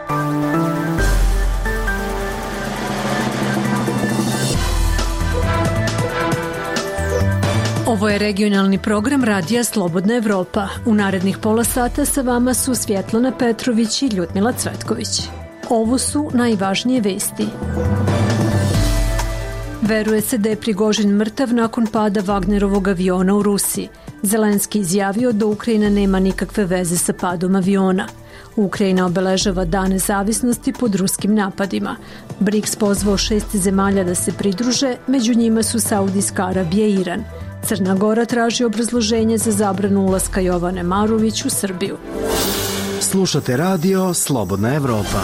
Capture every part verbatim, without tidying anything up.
Ovo je regionalni program Radija Slobodna Evropa. U narednih pola sata sa vama su Svjetlana Petrović i Ljudmila Cvetković. Ovo su najvažnije vesti. Veruje se da je Prigožin mrtav nakon pada Wagnerovog aviona u Rusiji. Zelenski izjavio da Ukrajina nema nikakve veze sa padom aviona. Ukrajina obeležava Dan nezavisnosti pod ruskim napadima. BRICS pozvao šest zemalja da se pridruže, među njima su Saudijska Arabija i Iran. Crna Gora traži obrazloženje za zabranu ulaska Jovane Marović u Srbiju. Slušate radio Slobodna Evropa.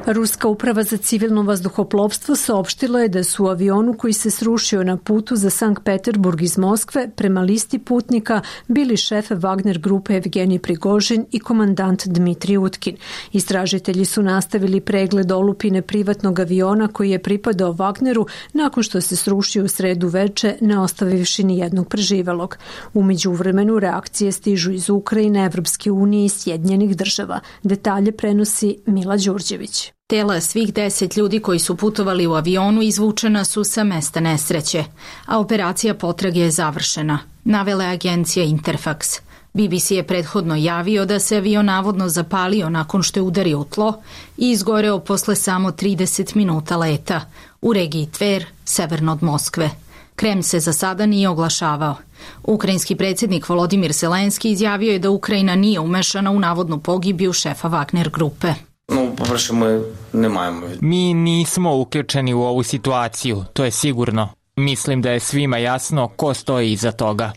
Ruska uprava za civilno vazduhoplovstvo saopštila je da su u avionu koji se srušio na putu za Sankt Peterburg iz Moskve prema listi putnika bili šef Wagner grupe Evgenij Prigožin i komandant Dmitrij Utkin. Istražitelji su nastavili pregled olupine privatnog aviona koji je pripadao Wagneru nakon što se srušio u sredu veče, ne ostavivši ni jednog preživelog. U međuvremenu reakcije stižu iz Ukrajine, Evropske unije i Sjedinjenih država. Detalje prenosi Mila Đurđević. Tela svih deset ljudi koji su putovali u avionu izvučena su sa mesta nesreće, a operacija potrage je završena, navela agencija Interfax. B B C je prethodno javio da se avion navodno zapalio nakon što je udario u tlo i izgoreo posle samo trideset minuta leta u regiji Tver, severno od Moskve. Kremlj se za sada nije oglašavao. Ukrajinski predsjednik Volodimir Zelenski izjavio je da Ukrajina nije umešana u navodnu pogibiju šefa Wagner grupe. Mi nismo uključeni u ovu situaciju, to je sigurno. Mislim da je svima jasno ko stoji iza toga.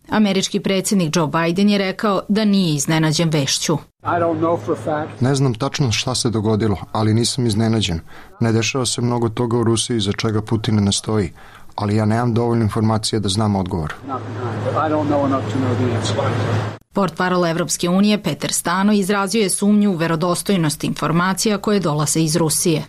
Američki predsjednik Joe Biden je rekao da nije iznenađen vešću. Ne znam tačno šta se dogodilo, ali nisam iznenađen. Ne dešava se mnogo toga u Rusiji za čega Putin ne stoji, ali ja nemam dovoljno informacija da znam odgovor. Portparol Evropske unije Peter Stano izrazio je sumnju u verodostojnost informacija koje dolaze iz Rusije.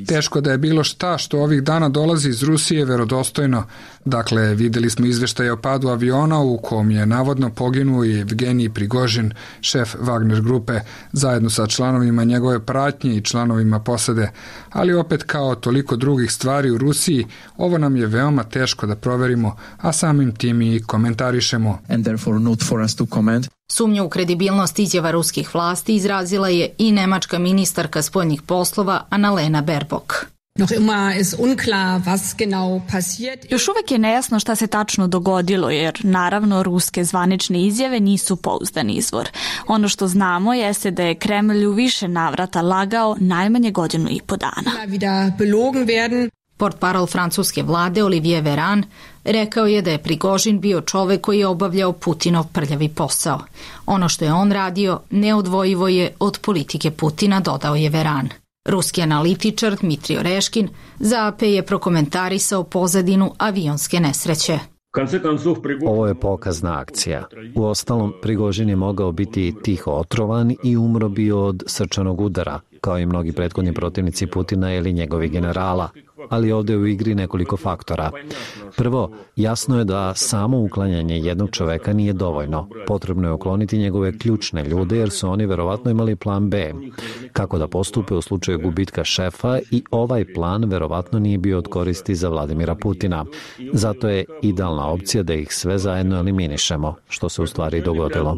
Teško da je bilo šta što ovih dana dolazi iz Rusije verodostojno. Dakle, videli smo izveštaje o padu aviona u kom je navodno poginuo i Evgenij Prigožin, šef Wagner grupe, zajedno sa članovima njegove pratnje i članovima posade. Ali opet, kao toliko drugih stvari u Rusiji, ovo nam je veoma teško da proverimo, a samim tim i komentarišemo. Sumnju u kredibilnost izjava ruskih vlasti izrazila je i nemačka ministarka spoljnih poslova Annalena Baerbock. Još uvek je nejasno šta se tačno dogodilo, jer naravno ruske zvanične izjave nisu pouzdan izvor. Ono što znamo jeste da je Kremlj u više navrata lagao najmanje godinu i po dana. Portparol francuske vlade Olivier Véran rekao je da je Prigožin bio čovek koji je obavljao Putinov prljavi posao. Ono što je on radio neodvojivo je od politike Putina, dodao je Véran. Ruski analitičar Dmitrij Oreškin za A P je prokomentarisao pozadinu avionske nesreće. Ovo je pokazna akcija. Uostalom, Prigožin je mogao biti tiho otrovan i umro bi od srčanog udara, kao i mnogi prethodni protivnici Putina ili njegovi generala. Ali ovdje je u igri nekoliko faktora. Prvo, jasno je da samo uklanjanje jednog čoveka nije dovoljno. Potrebno je ukloniti njegove ključne ljude jer su oni verovatno imali plan B. Kako da postupe u slučaju gubitka šefa i ovaj plan verovatno nije bio od koristi za Vladimira Putina. Zato je idealna opcija da ih sve zajedno eliminišemo, što se u stvari dogodilo.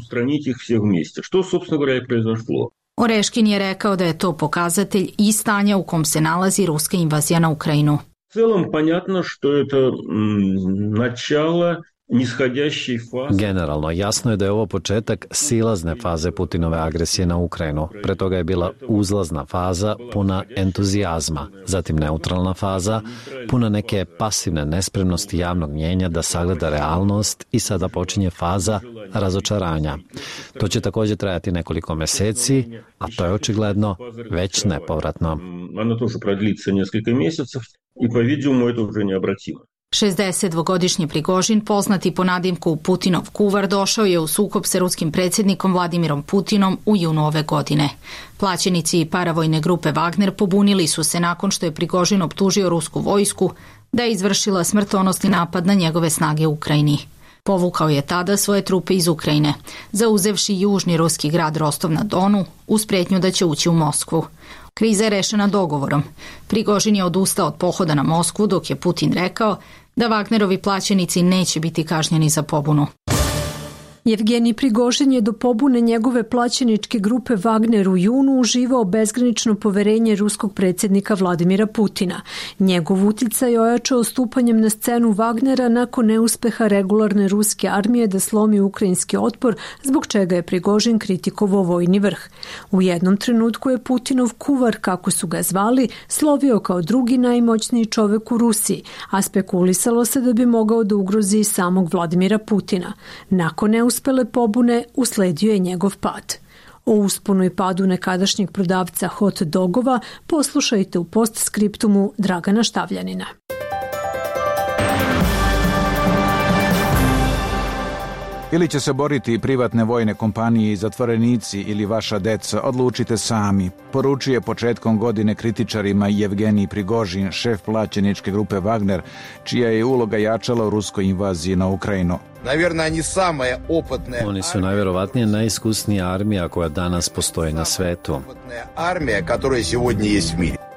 Oreškin je rekao da je to pokazatelj i stanja u kom se nalazi ruska invazija na Ukrajinu. Generalno, jasno je da je ovo početak silazne faze Putinove agresije na Ukrajinu. Pre toga je bila uzlazna faza puna entuzijazma, zatim neutralna faza, puna neke pasivne nespremnosti javnog mnjenja da sagleda realnost i sada počinje faza razočaranja. To će također trajati nekoliko meseci, a to je očigledno već nepovratno. šezdesetdvogodišnji Prigožin, poznati po nadimku Putinov kuvar, došao je u sukob sa ruskim predsjednikom Vladimirom Putinom u junu ove godine. Plaćenici i paravojne grupe Wagner pobunili su se nakon što je Prigožin optužio rusku vojsku da je izvršila smrtonosni napad na njegove snage u Ukrajini. Povukao je tada svoje trupe iz Ukrajine, zauzevši južni ruski grad Rostov na Donu uz pretnju da će ući u Moskvu. Kriza je rešena dogovorom. Prigožin je odustao od pohoda na Moskvu dok je Putin rekao da Wagnerovi plaćenici neće biti kažnjeni za pobunu. Jevgenij Prigožin je do pobune njegove plaćeničke grupe Wagner u junu uživao bezgranično poverenje ruskog predsjednika Vladimira Putina. Njegov uticaj ojačao stupanjem na scenu Wagnera nakon neuspeha regularne ruske armije da slomi ukrajinski otpor, zbog čega je Prigožin kritikovao vojni vrh. U jednom trenutku je Putinov kuvar, kako su ga zvali, slovio kao drugi najmoćniji čovek u Rusiji, a spekulisalo se da bi mogao da ugrozi samog Vladimira Putina. Nakon neuspjeha uspele pobune, usledio je njegov pad. O usponu i padu nekadašnjeg prodavca hot dogova poslušajte u postskriptumu Dragana Štavljanina. Ili će se boriti privatne vojne kompanije i zatvorenici ili vaša deca, odlučite sami, poručuje početkom godine kritičarima Jevgenij Prigožin, šef plaćeničke grupe Wagner, čija je uloga jačala u ruskoj invaziji na Ukrajinu. Oni su najverovatnije najiskusnija armija koja danas postoji na svetu.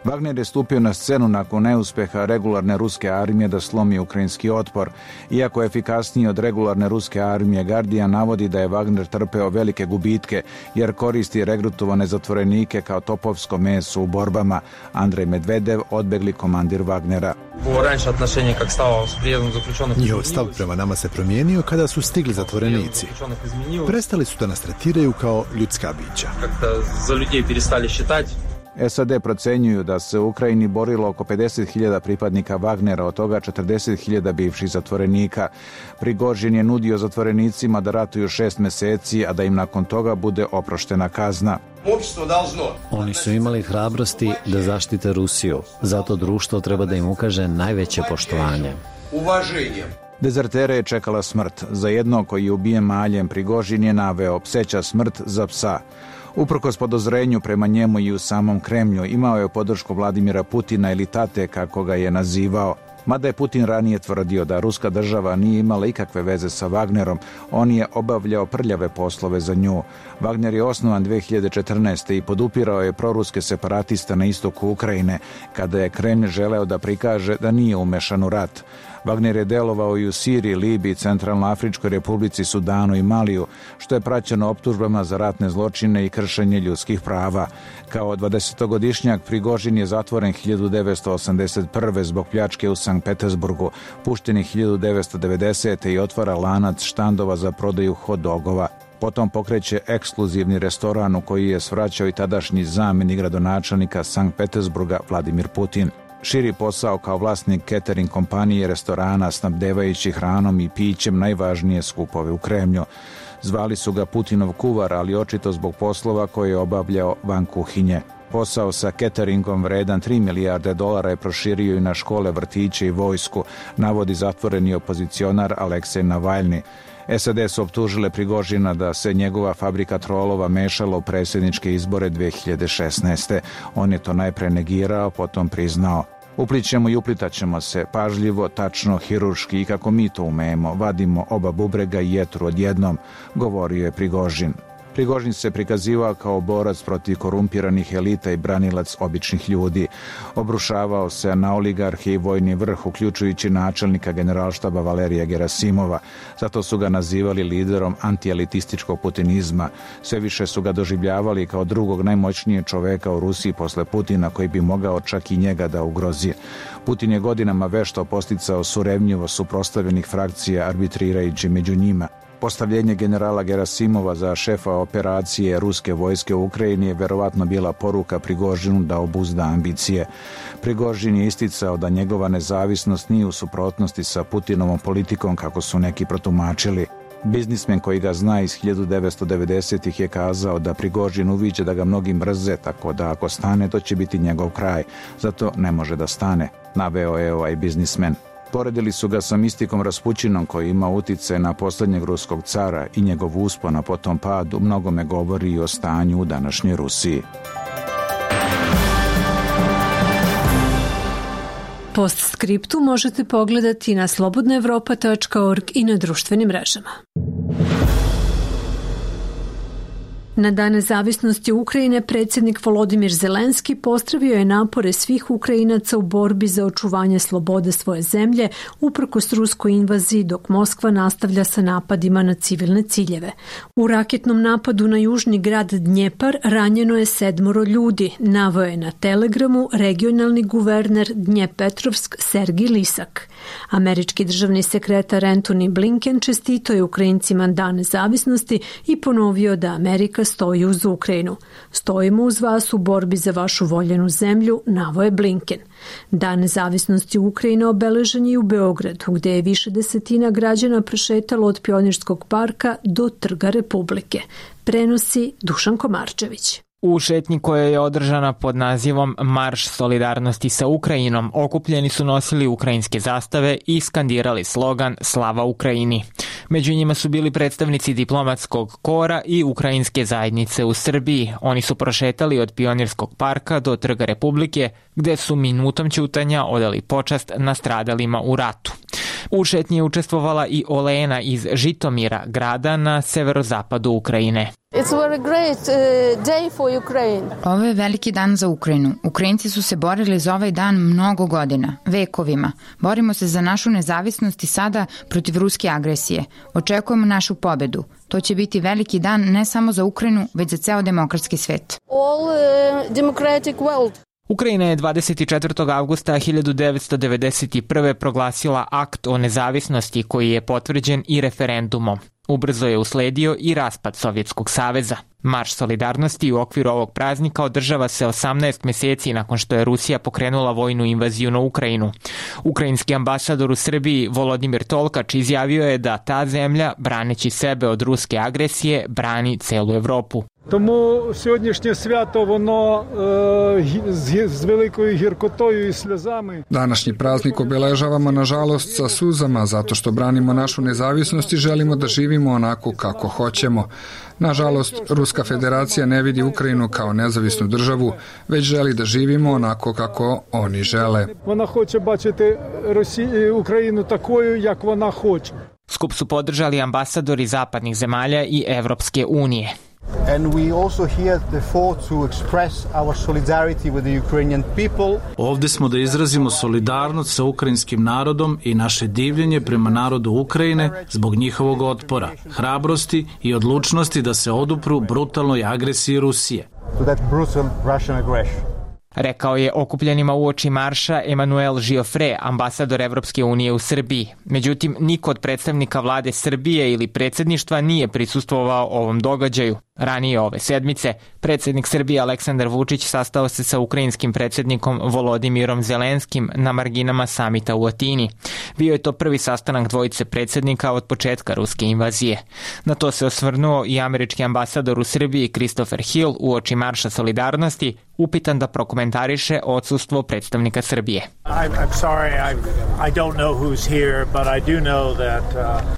Wagner je stupio na scenu nakon neuspeha regularne ruske armije da slomi ukrajinski otpor. Iako je efikasniji od regularne ruske armije, Guardian navodi da je Wagner trpeo velike gubitke jer koristi regrutovane zatvorenike kao topovsko meso u borbama. Andrej Medvedev, odbegli komandir Wagnera. Njihov stav prema nama se promijenio kada su stigli zatvorenici. Prestali su da nas tretiraju kao ljudska bića. S A D procenjuju da se u Ukrajini borilo oko pedeset hiljada pripadnika Wagnera, od toga četrdeset hiljada bivših zatvorenika. Prigožin je nudio zatvorenicima da ratuju šest meseci, a da im nakon toga bude oproštena kazna. Oni su imali hrabrosti da zaštite Rusiju, zato društvo treba da im ukaže najveće poštovanje. Dezertere je čekala smrt. Za jednog koji je ubijen maljem, Prigožin je naveo pseća smrt za psa. Uprkos podozrenju prema njemu i u samom Kremlju, imao je podršku Vladimira Putina ili tate, kako ga je nazivao. Mada je Putin ranije tvrdio da ruska država nije imala ikakve veze sa Wagnerom, on je obavljao prljave poslove za nju. Wagner je osnovan dve hiljade četrnaeste. i podupirao je proruske separatiste na istoku Ukrajine, kada je Kremlj želeo da prikaže da nije umešan u rat. Wagner je delovao i u Siriji, Libiji, Centralnoafričkoj republici, Sudanu i Maliju, što je praćeno optužbama za ratne zločine i kršenje ljudskih prava. Kao dvadesetogodišnjak Prigožin je zatvoren hiljadu devetsto osamdeset prve. zbog pljačke u Sankt Petersburgu, pušten je hiljadu devetsto devedesete. i otvara lanac štandova za prodaju hot dogova. Potom pokreće ekskluzivni restoran u koji je svraćao i tadašnji zamjenik gradonačelnika Sankt Petersburga Vladimir Putin. Širi posao kao vlasnik catering kompanije restorana, snabdevajući hranom i pićem najvažnije skupove u Kremlju. Zvali su ga Putinov kuvar, ali očito zbog poslova koje je obavljao van kuhinje. Posao sa cateringom vredan tri milijarde dolara je proširio i na škole, vrtiće i vojsku, navodi zatvoreni opozicionar Aleksej Navalni. S A D su optužile Prigožina da se njegova fabrika trolova mešala u predsjedničke izbore dve hiljade šesnaeste. On je to najpre negirao, potom priznao. Uplićemo i uplitaćemo se, pažljivo, tačno, hirurški i kako mi to umemo, vadimo oba bubrega i jetru odjednom, govorio je Prigožin. Prigožin se prikazivao kao borac protiv korumpiranih elita i branilac običnih ljudi. Obrušavao se na oligarhe i vojni vrh, uključujući načelnika generalštaba Valerija Gerasimova. Zato su ga nazivali liderom antielitističkog putinizma. Sve više su ga doživljavali kao drugog najmoćnijeg čoveka u Rusiji posle Putina, koji bi mogao čak i njega da ugrozi. Putin je godinama vešto posticao surevnjivo suprotstavljenih frakcija, arbitrirajući među njima. Postavljenje generala Gerasimova za šefa operacije ruske vojske u Ukrajini je verovatno bila poruka Prigožinu da obuzda ambicije. Prigožin je isticao da njegova nezavisnost nije u suprotnosti sa Putinovom politikom, kako su neki protumačili. Biznismen koji ga zna iz hiljadu devetsto devedesetih. je kazao da Prigožin uviđa da ga mnogi mrze, tako da ako stane, to će biti njegov kraj. Zato ne može da stane, naveo je ovaj biznismen. Poredili su ga sa mistikom Raspućinom, koji ima utice na posljednjeg ruskog cara, i njegov uspon, a potom pad u mnogome govori i o stanju u današnjoj Rusiji. Postskriptu možete pogledati na slobodna evropa tačka org i na društvenim mrežama. Na Dan nezavisnosti Ukrajine predsjednik Volodimir Zelenski pozdravio je napore svih Ukrajinaca u borbi za očuvanje slobode svoje zemlje uprkos ruskoj invaziji, dok Moskva nastavlja sa napadima na civilne ciljeve. U raketnom napadu na južni grad Dnjepar ranjeno je sedmoro ljudi, naveo je na Telegramu regionalni guverner Dnjepetrovsk Sergij Lisak. Američki državni sekretar Antony Blinken čestitao je Ukrajincima Dan nezavisnosti i ponovio da Amerika stoji uz Ukrajinu. Stojimo uz vas u borbi za vašu voljenu zemlju, naveo je Blinken. Dan nezavisnosti Ukrajine obeležen je u Beogradu, gde je više desetina građana prošetalo od Pionirskog parka do Trga Republike. Prenosi Dušan Komarčević. U šetnji koja je održana pod nazivom Marš solidarnosti sa Ukrajinom, okupljeni su nosili ukrajinske zastave i skandirali slogan Slava Ukrajini. Među njima su bili predstavnici diplomatskog kora i ukrajinske zajednice u Srbiji. Oni su prošetali od Pionirskog parka do Trga Republike, gde su minutom ćutanja odali počast nastradalima u ratu. U šetnji je učestvovala i Olena iz Žitomira, grada na severozapadu Ukrajine. It's a very great uh, day for Ukraine. Ovo je veliki dan za Ukrajinu. Ukrajinci su se borili za ovaj dan mnogo godina, vekovima. Borimo se za našu nezavisnost i sada protiv ruske agresije. Očekujemo našu pobedu. To će biti veliki dan ne samo za Ukrajinu, već za ceo demokratski svet. All uh, democratic world. Ukrajina je dvadeset četvrtog avgusta hiljadu devetsto devedeset prve proglasila akt o nezavisnosti koji je potvrđen i referendumom. Ubrzo je usledio i raspad Sovjetskog saveza. Marš solidarnosti u okviru ovog praznika održava se osamnaest meseci nakon što je Rusija pokrenula vojnu invaziju na Ukrajinu. Ukrajinski ambasador u Srbiji Volodimir Tolkač izjavio je da ta zemlja, braneći sebe od ruske agresije, brani celu Evropu. Тому сьогоднішнє свято, воно е, з великою гіркотою і сльозами. Današnji praznik obeležavamo nažalost sa suzama zato što branimo našu nezavisnost i želimo da živimo onako kako hoćemo. Nažalost, Ruska federacija ne vidi Ukrajinu kao nezavisnu državu, već želi da živimo onako kako oni žele. Вона хоче бачити Росію, Україну такою, як вона хоче. Skup su podržali ambasadori zapadnih zemalja i Evropske unije. And we also here therefore to express our solidarity with the Ukrainian people. Ovde smo da izrazimo solidarnost sa ukrajinskim narodom i naše divljenje prema narodu Ukrajine zbog njihovog otpora, hrabrosti i odlučnosti da se odupru brutalnoj agresiji Rusije. To that brutal Russian aggression. Rekao je okupljenima uoči marša Emanuel Žiofre, ambasador Evropske unije u Srbiji. Međutim, niko od predstavnika vlade Srbije ili predsjedništva nije prisustvovao ovom događaju. Ranije ove sedmice, predsjednik Srbije Aleksandar Vučić sastao se sa ukrajinskim predsjednikom Volodimirom Zelenskim na marginama samita u Atini. Bio je to prvi sastanak dvojice predsjednika od početka ruske invazije. Na to se osvrnuo i američki ambasador u Srbiji Christopher Hill uoči marša solidarnosti, upitan da prokomentariše odsustvo predstavnika Srbije.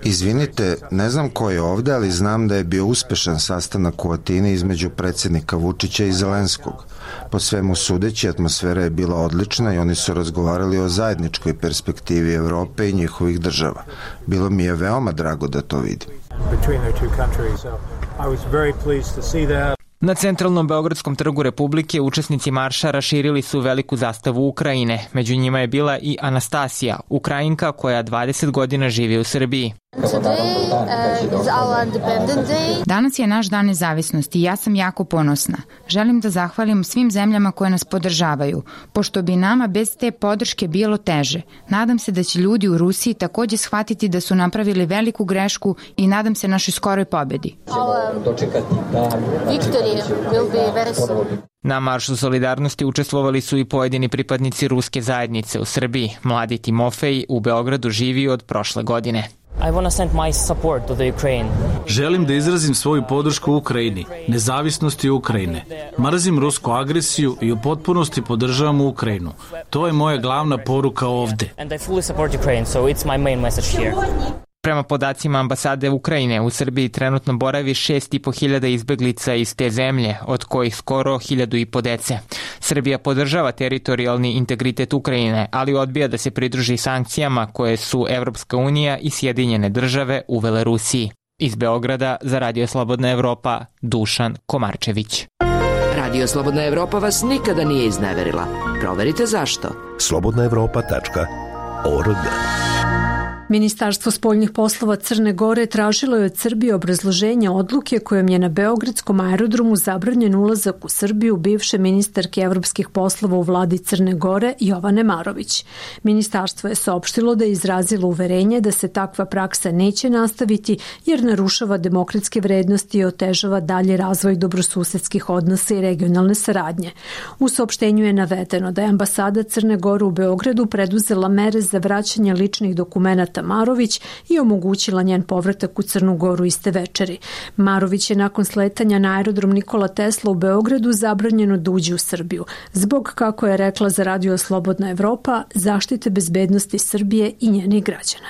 Izvinite, ne znam ko je ovde, ali znam da je bio uspešan sastanak u Atini između predsjednika Vučića i Zelenskog. Po svemu sudeći, atmosfera je bila odlična i oni su razgovarali o zajedničkoj perspektivi Evrope i njihovih država. Bilo mi je veoma drago da to vidim. Na centralnom Beogradskom trgu Republike učesnici marša raširili su veliku zastavu Ukrajine. Među njima je bila i Anastasija, Ukrajinka koja dvadeset godina živi u Srbiji. Danas je naš dan nezavisnosti i ja sam jako ponosna. Želim da zahvalim svim zemljama koje nas podržavaju, pošto bi nama bez te podrške bilo teže. Nadam se da će ljudi u Rusiji takođe shvatiti da su napravili veliku grešku i nadam se našoj skoroj pobedi. Na maršu solidarnosti učestvovali su i pojedini pripadnici ruske zajednice u Srbiji. Mladi Timofej u Beogradu živi od prošle godine. Želim da izrazim svoju podršku Ukrajini, nezavisnosti Ukrajine. Mrzim rusku agresiju i u potpunosti podržavam Ukrajinu. To je moja glavna poruka ovde. Prema podacima ambasade Ukrajine, u Srbiji trenutno boravi šest i po hiljada izbeglica iz te zemlje, od kojih skoro hiljadu i po dece. Srbija podržava teritorijalni integritet Ukrajine, ali odbija da se pridruži sankcijama koje su Evropska unija i Sjedinjene države uvele Rusiji. Iz Beograda za Radio Slobodna Evropa, Dušan Komarčević. Radio Slobodna Evropa vas nikada nije izneverila. Proverite zašto. slobodna evropa tačka org. Ministarstvo spoljnih poslova Crne Gore tražilo je od Srbije obrazloženje odluke kojom je na beogradskom aerodromu zabranjen ulazak u Srbiju bivše ministarke evropskih poslova u vladi Crne Gore Jovane Marović. Ministarstvo je saopštilo da je izrazilo uverenje da se takva praksa neće nastaviti jer narušava demokratske vrednosti i otežava dalji razvoj dobrosusedskih odnosa i regionalne saradnje. U saopštenju je navedeno da je ambasada Crne Gore u Beogradu preduzela mere za vraćanje ličnih dokumenata Marović i omogućila njen povratak u Crnu Goru iste večeri. Marović je nakon sletanja na aerodrom Nikola Tesla u Beogradu zabranjeno da uđe u Srbiju, zbog, kako je rekla za Radio Slobodna Evropa, zaštite bezbednosti Srbije i njenih građana.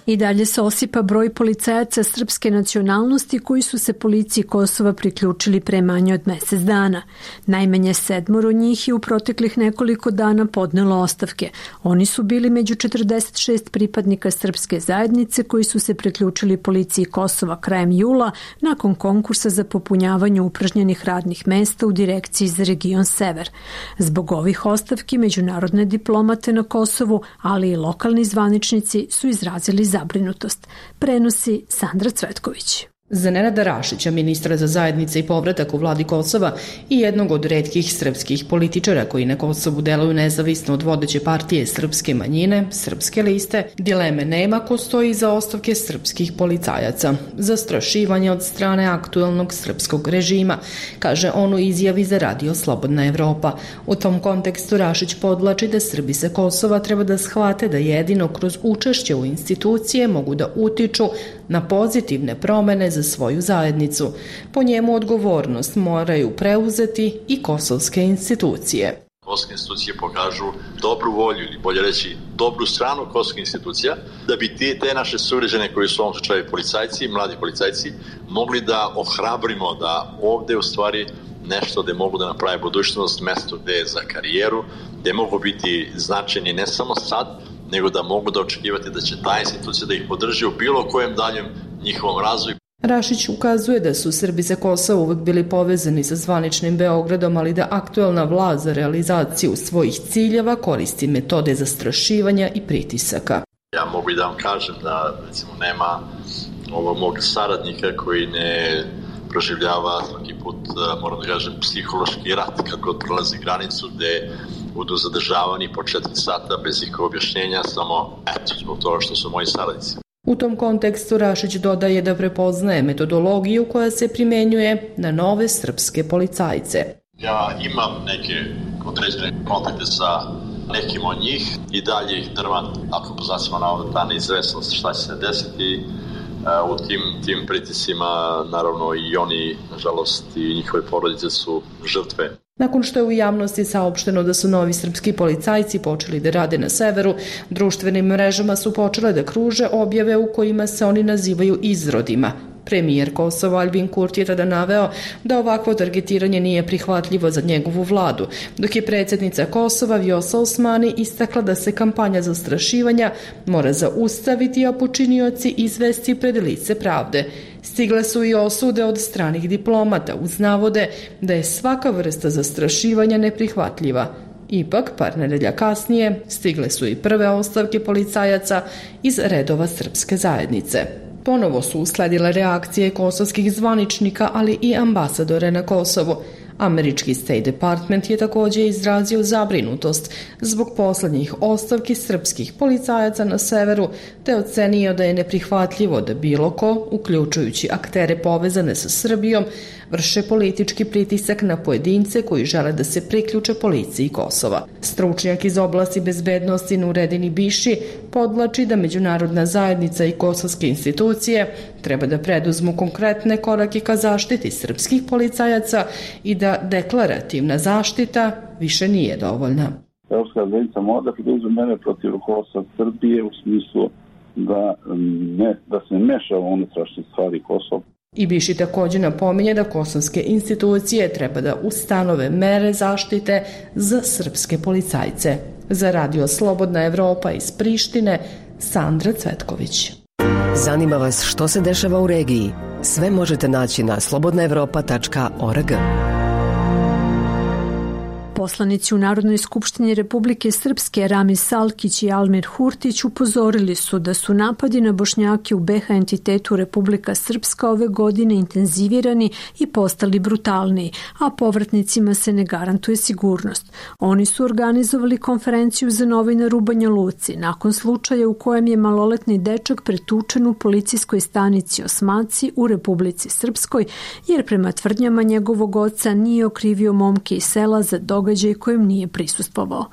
I dalje se osipa broj policajaca srpske nacionalnosti koji su se policiji Kosova priključili pre manje od mesec dana. Najmanje sedmoro njih je u proteklih nekoliko dana podnelo ostavke. Oni su bili među četrdeset šest pripadnika srpske zajednice koji su se priključili policiji Kosova krajem jula nakon konkursa za popunjavanje upražnjenih radnih mesta u direkciji za region Sever. Zbog ovih ostavki međunarodne diplomate na Kosovu, ali i lokalni zvaničnici su izrazili zabrinutost, prenosi Sandra Cvetković. Za Nenada Rašića, ministra za zajednice i povratak u vladi Kosova i jednog od retkih srpskih političara koji na Kosovu deluju nezavisno od vodeće partije srpske manjine, Srpske liste, dileme nema ko stoji iza ostavke srpskih policajaca. Zastrašivanje od strane aktuelnog srpskog režima, kaže on u izjavi za Radio Slobodna Evropa. U tom kontekstu Rašić podlači da Srbi sa Kosova treba da shvate da jedino kroz učešće u institucije mogu da utiču na pozitivne promene za svoju zajednicu. Po njemu odgovornost moraju preuzeti i kosovske institucije. Kosovske institucije pokažu dobru volju ili bolje reći dobru stranu kosovskih institucija da bi te, te naše sugrađane koji su u ovom slučaju policajci, mladi policajci, mogli da ohrabrimo da ovde u stvari nešto gde mogu da naprave budućnost, mesto gde je za karijeru, gde mogu biti značajni ne samo sad, nego da mogu da očekivati da će ta institucija da ih podrži u bilo kojem daljem njihovom razvoju. Rašić ukazuje da su Srbi sa Kosova uvek bili povezani sa zvaničnim Beogradom, ali da aktuelna vlast za realizaciju svojih ciljeva koristi metode zastrašivanja i pritisaka. Ja mogu i da vam kažem da recimo nema ovog mog saradnika koji ne proživljava svaki put, moram da kažem, psihološki rat kako prolazi granicu gde budu zadržavani po četiri sata bez ikog objašnjenja, samo eto, zbog toga što su moji saradnici. U tom kontekstu Rašić dodaje da prepoznaje metodologiju koja se primenjuje na nove srpske policajce. Ja imam neke određene kontakte sa nekim od njih i dalje ih drvan, ako poznacima na ta neizvesnost šta će se desiti u tim, tim pritisima, naravno i oni, nažalost, i njihove porodice su žrtve. Nakon što je u javnosti saopšteno da su novi srpski policajci počeli da rade na severu, društvenim mrežama su počele da kruže objave u kojima se oni nazivaju izrodima. Premijer Kosova Albin Kurti je tada naveo da ovakvo targetiranje nije prihvatljivo za njegovu vladu, dok je predsjednica Kosova Vjosa Osmani istakla da se kampanja zastrašivanja mora zaustaviti, a počinioci izvesti pred lice pravde. Stigle su i osude od stranih diplomata uz navode da je svaka vrsta zastrašivanja neprihvatljiva. Ipak, par nedelja kasnije, stigle su i prve ostavke policajaca iz redova srpske zajednice. Ponovo su usledile reakcije kosovskih zvaničnika, ali i ambasadore na Kosovu. Američki State Department je također izrazio zabrinutost zbog poslednjih ostavki srpskih policajaca na severu, te ocenio da je neprihvatljivo da bilo ko, uključujući aktere povezane sa Srbijom, vrše politički pritisak na pojedince koji žele da se priključe policiji Kosova. Stručnjak iz oblasti bezbednosti Nuredin Biši podlači da međunarodna zajednica i kosovske institucije treba da preduzmu konkretne korake ka zaštiti srpskih policajaca i da deklarativna zaštita više nije dovoljna. Evropska zajednica mora da preduzme mere protiv rukovodstva Srbije u smislu da, ne, da se meša u unutrašnje stvari Kosova. Ibiši također napominje da kosovske institucije treba da ustanove mere zaštite za srpske policajce. Za Radio Slobodna Evropa iz Prištine, Sandra Cvetković. Zanima vas što se dešava u regiji? Sve možete naći na slobodna evropa tačka org. Poslanici u Narodnoj skupštini Republike Srpske Ramis Salkić i Almir Hurtić upozorili su da su napadi na Bošnjake u be ha entitetu Republika Srpska ove godine intenzivirani i postali brutalniji, a povratnicima se ne garantuje sigurnost. Oni su organizovali konferenciju za novinare u Banja Luci nakon slučaja u kojem je maloletni dečak pretučen u policijskoj stanici Osmaci u Republici Srpskoj, jer prema tvrdnjama njegovog oca nije okrivio momke iz sela za događaj kojem nije prisustvovao.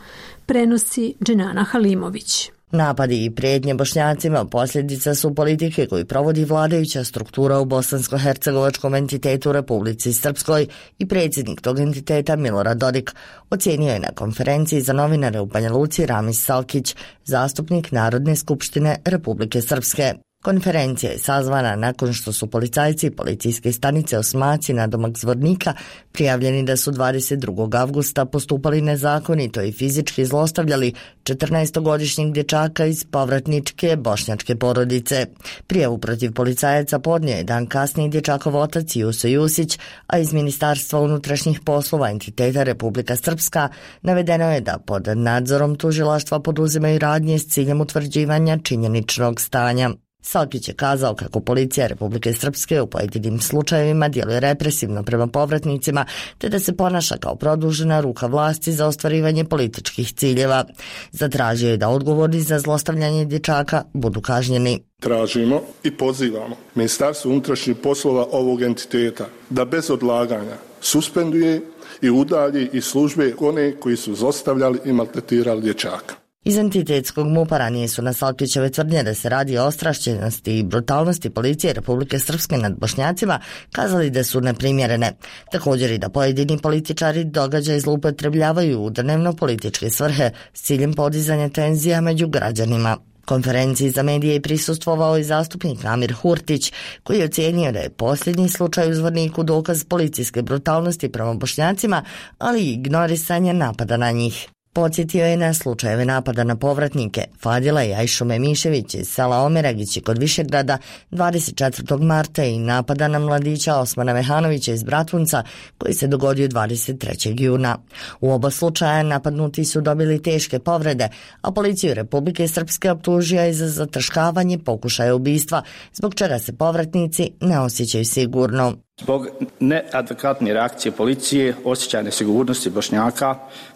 Prenosi Dženana Halimović. Napadi i prijetnje Bošnjacima posljedica su politike koju provodi vladajuća struktura u bosansko-hercegovačkom entitetu Republici Srpskoj i predsjednik tog entiteta Milorad Dodik, ocijenio je na konferenciji za novinare u Banja Luci Ramis Salkić, zastupnik Narodne skupštine Republike Srpske. Konferencija je sazvana nakon što su policajci policijske stanice Osmaci na domak Zvornika prijavljeni da su dvadeset drugog avgusta postupali nezakonito i fizički zlostavljali četrnaestogodišnjeg dječaka iz povratničke bošnjačke porodice. Prijavu protiv policajaca podnio je dan kasnije dječakov otac Juso Jusić, a iz Ministarstva unutrašnjih poslova entiteta Republika Srpska navedeno je da pod nadzorom tužilaštva poduzimaju radnje s ciljem utvrđivanja činjeničnog stanja. Salkić je kazao kako policija Republike Srpske u pojedinim slučajevima djeluje represivno prema povratnicima, te da se ponaša kao produžena ruka vlasti za ostvarivanje političkih ciljeva. Zatražio je da odgovorni za zlostavljanje dječaka budu kažnjeni. Tražimo i pozivamo Ministarstvo unutrašnjih poslova ovog entiteta da bez odlaganja suspenduje i udalji iz službe one koji su zlostavljali i maltretirali dječaka. Iz entitetskog mupa ranije su na Salkićeve tvrdnje da se radi o ostrašćenosti i brutalnosti policije Republike Srpske nad Bošnjacima kazali da su neprimjerene. Također i da pojedini političari događaj zloupotrebljavaju u dnevno političke svrhe s ciljem podizanja tenzija među građanima. Konferenciji za medije je prisustvovao i zastupnik Amir Hurtić, koji je ocijenio da je posljednji slučaj u Zvorniku dokaz policijske brutalnosti prema Bošnjacima, ali i ignorisanje napada na njih. Podsjetio je na slučajeve napada na povratnike Fadila i Ajšu Memišević iz sela Omeragići kod Višegrada dvadeset četvrtog marta i napada na mladića Osmana Mehanovića iz Bratunca koji se dogodio dvadeset trećeg juna. U oba slučaja napadnuti su dobili teške povrede, a policiju Republike Srpske optužio je za zataškavanje pokušaja ubistva, zbog čega se povratnici ne osjećaju sigurno. Zbog neadekvatne reakcije policije, osjećaja nesigurnosti Bošnjaka,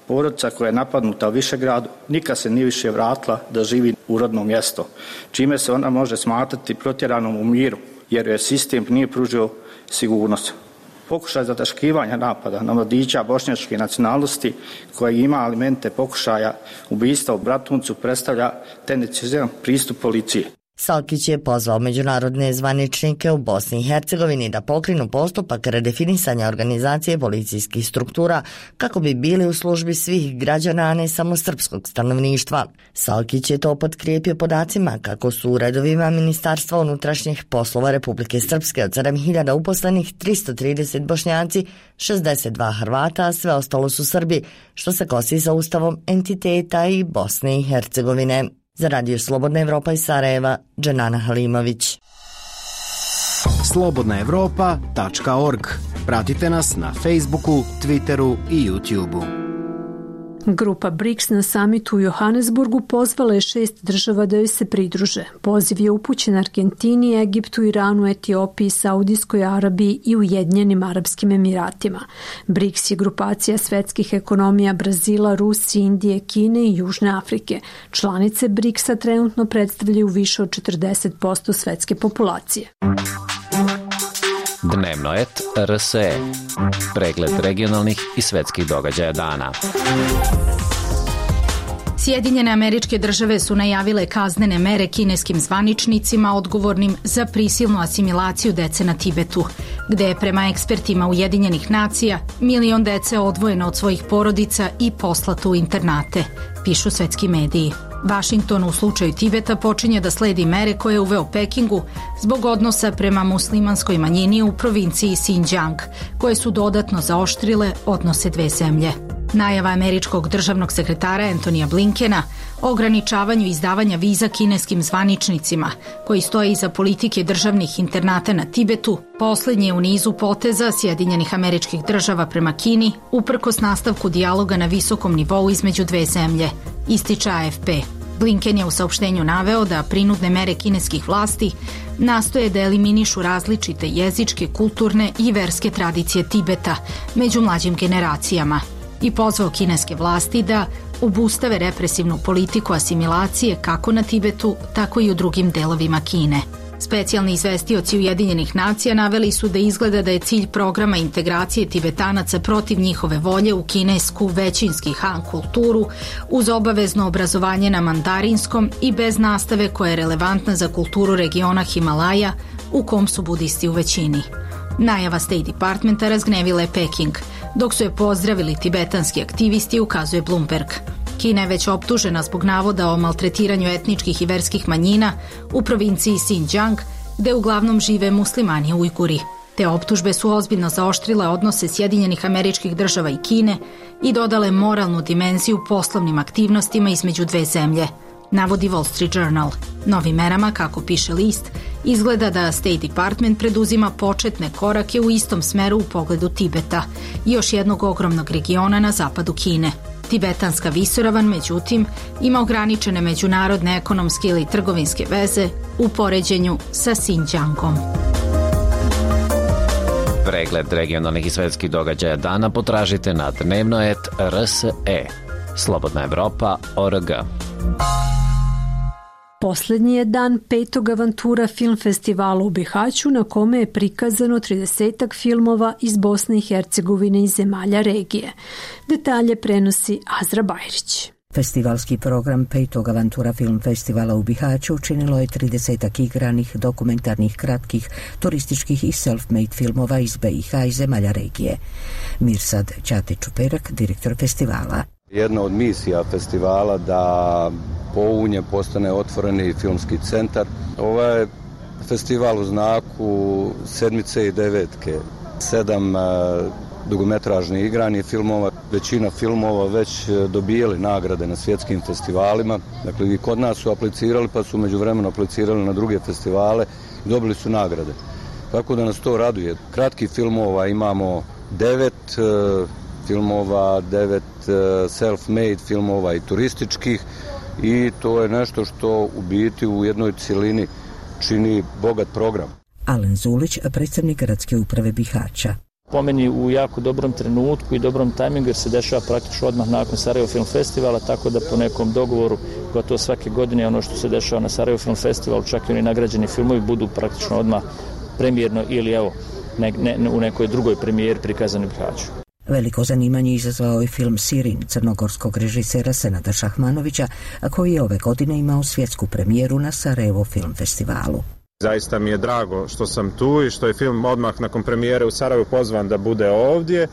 porodica koja je napadnuta u Višegradu nikad se nije više vratila da živi u rodno mjesto, čime se ona može smatrati protjeranom u miru, jer joj sistem nije pružio sigurnost. Pokušaj zataškivanja napada na mladića bošnjačke nacionalnosti koji ima elemente pokušaja ubistva u Bratuncu predstavlja tendenciozan pristup policije. Salkić je pozvao međunarodne zvaničnike u Bosni i Hercegovini da pokrenu postupak redefinisanja organizacije policijskih struktura kako bi bili u službi svih građana, a ne samo srpskog stanovništva. Salkić je to potkrijepio podacima kako su u redovima Ministarstva unutrašnjih poslova Republike Srpske od sedam hiljada uposlenih tristo trideset Bošnjaci, šezdeset dva Hrvata, a sve ostalo su Srbi, što se kosi sa ustavom entiteta i Bosne i Hercegovine. Za Radio Slobodna Evropa iz Sarajeva, Dženana Halimović. slobodna evropa tačka org. Pratite nas na Facebooku, Twitteru i YouTubeu. Grupa briks na samitu u Johannesburgu pozvala je šest država da joj se pridruže. Poziv je upućen Argentini, Egiptu, Iranu, Etiopiji, Saudijskoj Arabiji i Ujedinjenim Arapskim Emiratima. briks je grupacija svetskih ekonomija Brazila, Rusije, Indije, Kine i Južne Afrike. Članice briksa trenutno predstavljaju više od četrdeset posto svetske populacije. Dnevno et R S E. Pregled regionalnih i svetskih događaja dana. Sjedinjene Američke Države su najavile kaznene mere kineskim zvaničnicima odgovornim za prisilnu asimilaciju dece na Tibetu, gde je prema ekspertima Ujedinjenih nacija milion dece odvojeno od svojih porodica i poslato u internate, pišu svetski mediji. Vašington u slučaju Tibeta počinje da sledi mere koje je uveo Pekingu zbog odnosa prema muslimanskoj manjini u provinciji Xinjiang, koje su dodatno zaoštrile odnose dve zemlje. Najava američkog državnog sekretara Antonija Blinkena o ograničavanju izdavanja viza kineskim zvaničnicima koji stoje iza politike državnih internata na Tibetu, poslednji je u nizu poteza Sjedinjenih Američkih Država prema Kini uprkos nastavku dijaloga na visokom nivou između dve zemlje, ističe A F P. Blinken je u saopštenju naveo da prinudne mere kineskih vlasti nastoje da eliminišu različite jezičke, kulturne i verske tradicije Tibeta među mlađim generacijama i pozvao kineske vlasti da obustave represivnu politiku asimilacije kako na Tibetu, tako i u drugim delovima Kine. Specijalni izvestioci Ujedinjenih nacija naveli su da izgleda da je cilj programa integracije Tibetanaca protiv njihove volje u kinesku većinski Han kulturu uz obavezno obrazovanje na mandarinskom i bez nastave koja je relevantna za kulturu regiona Himalaja u kom su budisti u većini. Najava State Departmenta razgnevila je Peking, dok su je pozdravili tibetanski aktivisti, ukazuje Bloomberg. Kina je već optužena zbog navoda o maltretiranju etničkih i verskih manjina u provinciji Xinjiang, gde uglavnom žive muslimani Ujguri. Te optužbe su ozbiljno zaoštrile odnose Sjedinjenih Američkih Država i Kine i dodale moralnu dimenziju poslovnim aktivnostima između dve zemlje, navodi Wall Street Journal. Novim merama, kako piše list, izgleda da State Department preduzima početne korake u istom smeru u pogledu Tibeta, još jednog ogromnog regiona na zapadu Kine. Tibetanska visoravan, međutim, ima ograničene međunarodne ekonomske ili trgovinske veze u poređenju sa Xinjiangom. Pregled regionalnih i svetskih događaja dana potražite na dnevnoet R S E. Slobodna Evropa точка org. Poslednji je dan petog Avantura film festivala u Bihaću na kome je prikazano tridesetak filmova iz Bosne i Hercegovine i zemalja regije. Detalje prenosi Azra Bajrić. Festivalski program petog Avantura film festivala u Bihaću učinilo je tridesetak igranih, dokumentarnih, kratkih, turističkih i self-made filmova iz B i H i zemalja regije. Mirsad Ćatić-Čuperak, direktor festivala. Jedna od misija festivala da Pounje postane otvoreni filmski centar. Ovaj festival u znaku sedmice i devetke, sedam dugometražnih igranih filmova, većina filmova već dobijali nagrade na svjetskim festivalima. Dakle, i kod nas su aplicirali, pa su međuvremeno aplicirali na druge festivale i dobili su nagrade. Tako da nas to raduje. Kratkih filmova imamo devet filmova, devet self-made filmova i turističkih i to je nešto što u biti u jednoj cilini čini bogat program. Alen Zulić, predstavnik gradske uprave Bihaća. Po meni u jako dobrom trenutku i dobrom tajmingu jer se dešava praktično odmah nakon Sarajevo Film Festivala, tako da po nekom dogovoru gotovo svake godine ono što se dešava na Sarajevo Film Festivalu, čak i oni nagrađeni filmovi budu praktično odmah premijerno ili evo ne, ne, u nekoj drugoj premijeri prikazani u Bihaću. Veliko zanimanje izazvao je film Sirin crnogorskog režisera Senada Šahmanovića, a koji je ove godine imao svjetsku premijeru na Sarajevo Film Festivalu. Zaista mi je drago što sam tu i što je film odmah nakon premijere u Sarajevu pozvan da bude ovdje.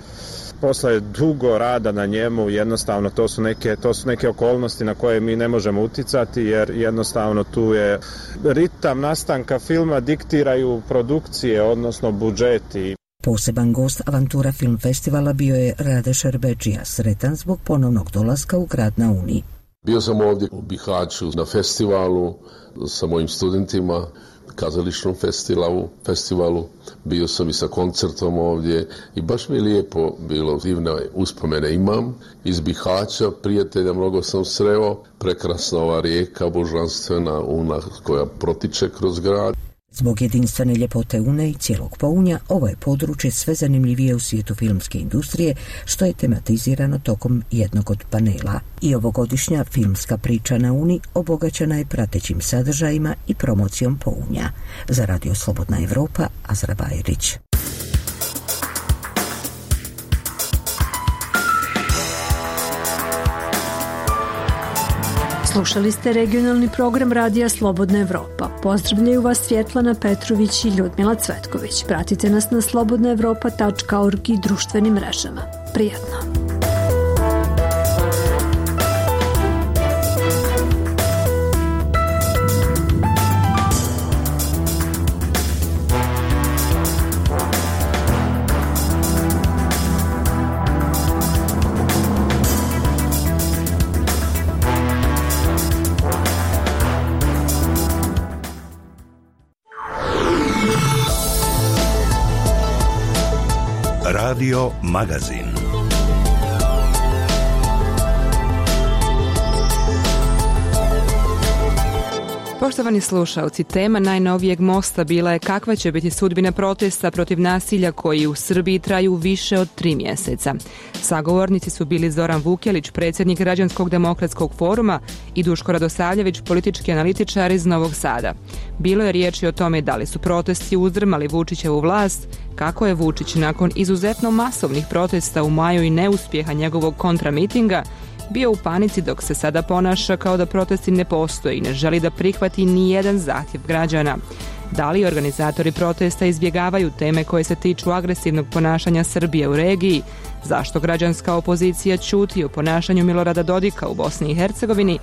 Posle dugo rada na njemu, jednostavno to su neke, to su neke okolnosti na koje mi ne možemo uticati jer jednostavno tu je ritam nastanka filma diktiraju produkcije, odnosno budžeti. Poseban gost Avantura film festivala bio je Rade Šerbedžija, sretan zbog ponovnog dolaska u grad na Uni. Bio sam ovdje u Bihaću na festivalu sa mojim studentima, kazališnom festivalu, festivalu. Bio sam i sa koncertom ovdje i baš mi je lijepo bilo, divne uspomene imam iz Bihaća, prijatelja mnogo sam sreo, prekrasna ova rijeka, božanstvena Una koja protiče kroz grad. Zbog jedinstvene ljepote Une i cijelog Pounja, ovo je područje sve zanimljivije u svijetu filmske industrije, što je tematizirano tokom jednog od panela. I ovogodišnja filmska priča na Uni obogaćena je pratećim sadržajima i promocijom Pounja. Za Radio Slobodna Evropa, Azra Bajrić. Slušali ste regionalni program Radija Slobodna Evropa. Pozdravljaju vas Svjetlana Petrović i Ljudmila Cvetković. Pratite nas na slobodna evropa tačka org i društvenim mrežama. Prijatno! Radio Magazin. Poštovani slušalci, tema najnovijeg Mosta bila je kakva će biti sudbina protesta protiv nasilja koji u Srbiji traju više od tri mjeseca. Sagovornici su bili Zoran Vukjelić, predsjednik Građanskog demokratskog foruma, i Duško Radosavljević, politički analitičar iz Novog Sada. Bilo je riječi o tome da li su protesti uzdrmali Vučićevu vlast, kako je Vučić nakon izuzetno masovnih protesta u maju i neuspjeha njegovog kontramitinga bio u panici, dok se sada ponaša kao da protesti ne postoje i ne želi da prihvati ni jedan zahtjev građana. Da li organizatori protesta izbjegavaju teme koje se tiču agresivnog ponašanja Srbije u regiji? Zašto građanska opozicija ćuti o ponašanju Milorada Dodika u Bosni i Hercegovini?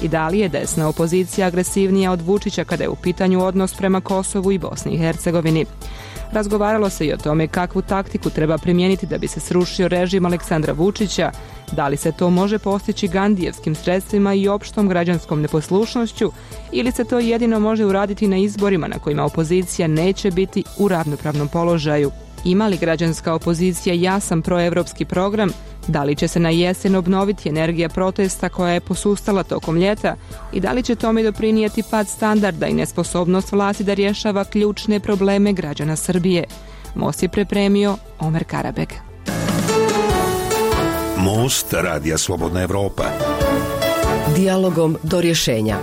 I da li je desna opozicija agresivnija od Vučića kada je u pitanju odnos prema Kosovu i Bosni i Hercegovini? Razgovaralo se i o tome kakvu taktiku treba primijeniti da bi se srušio režim Aleksandra Vučića, da li se to može postići gandijevskim sredstvima i opštom građanskom neposlušnošću, ili se to jedino može uraditi na izborima na kojima opozicija neće biti u ravnopravnom položaju. Ima li građanska opozicija jasan proevropski program? Da li će se na jesen obnoviti energija protesta koja je posustala tokom ljeta i da li će tome doprinijeti pad standarda i nesposobnost vlasti da rješava ključne probleme građana Srbije? Most je pripremio Omer Karabeg. Most Radija Slobodna Evropa. Dijalogom do rješenja.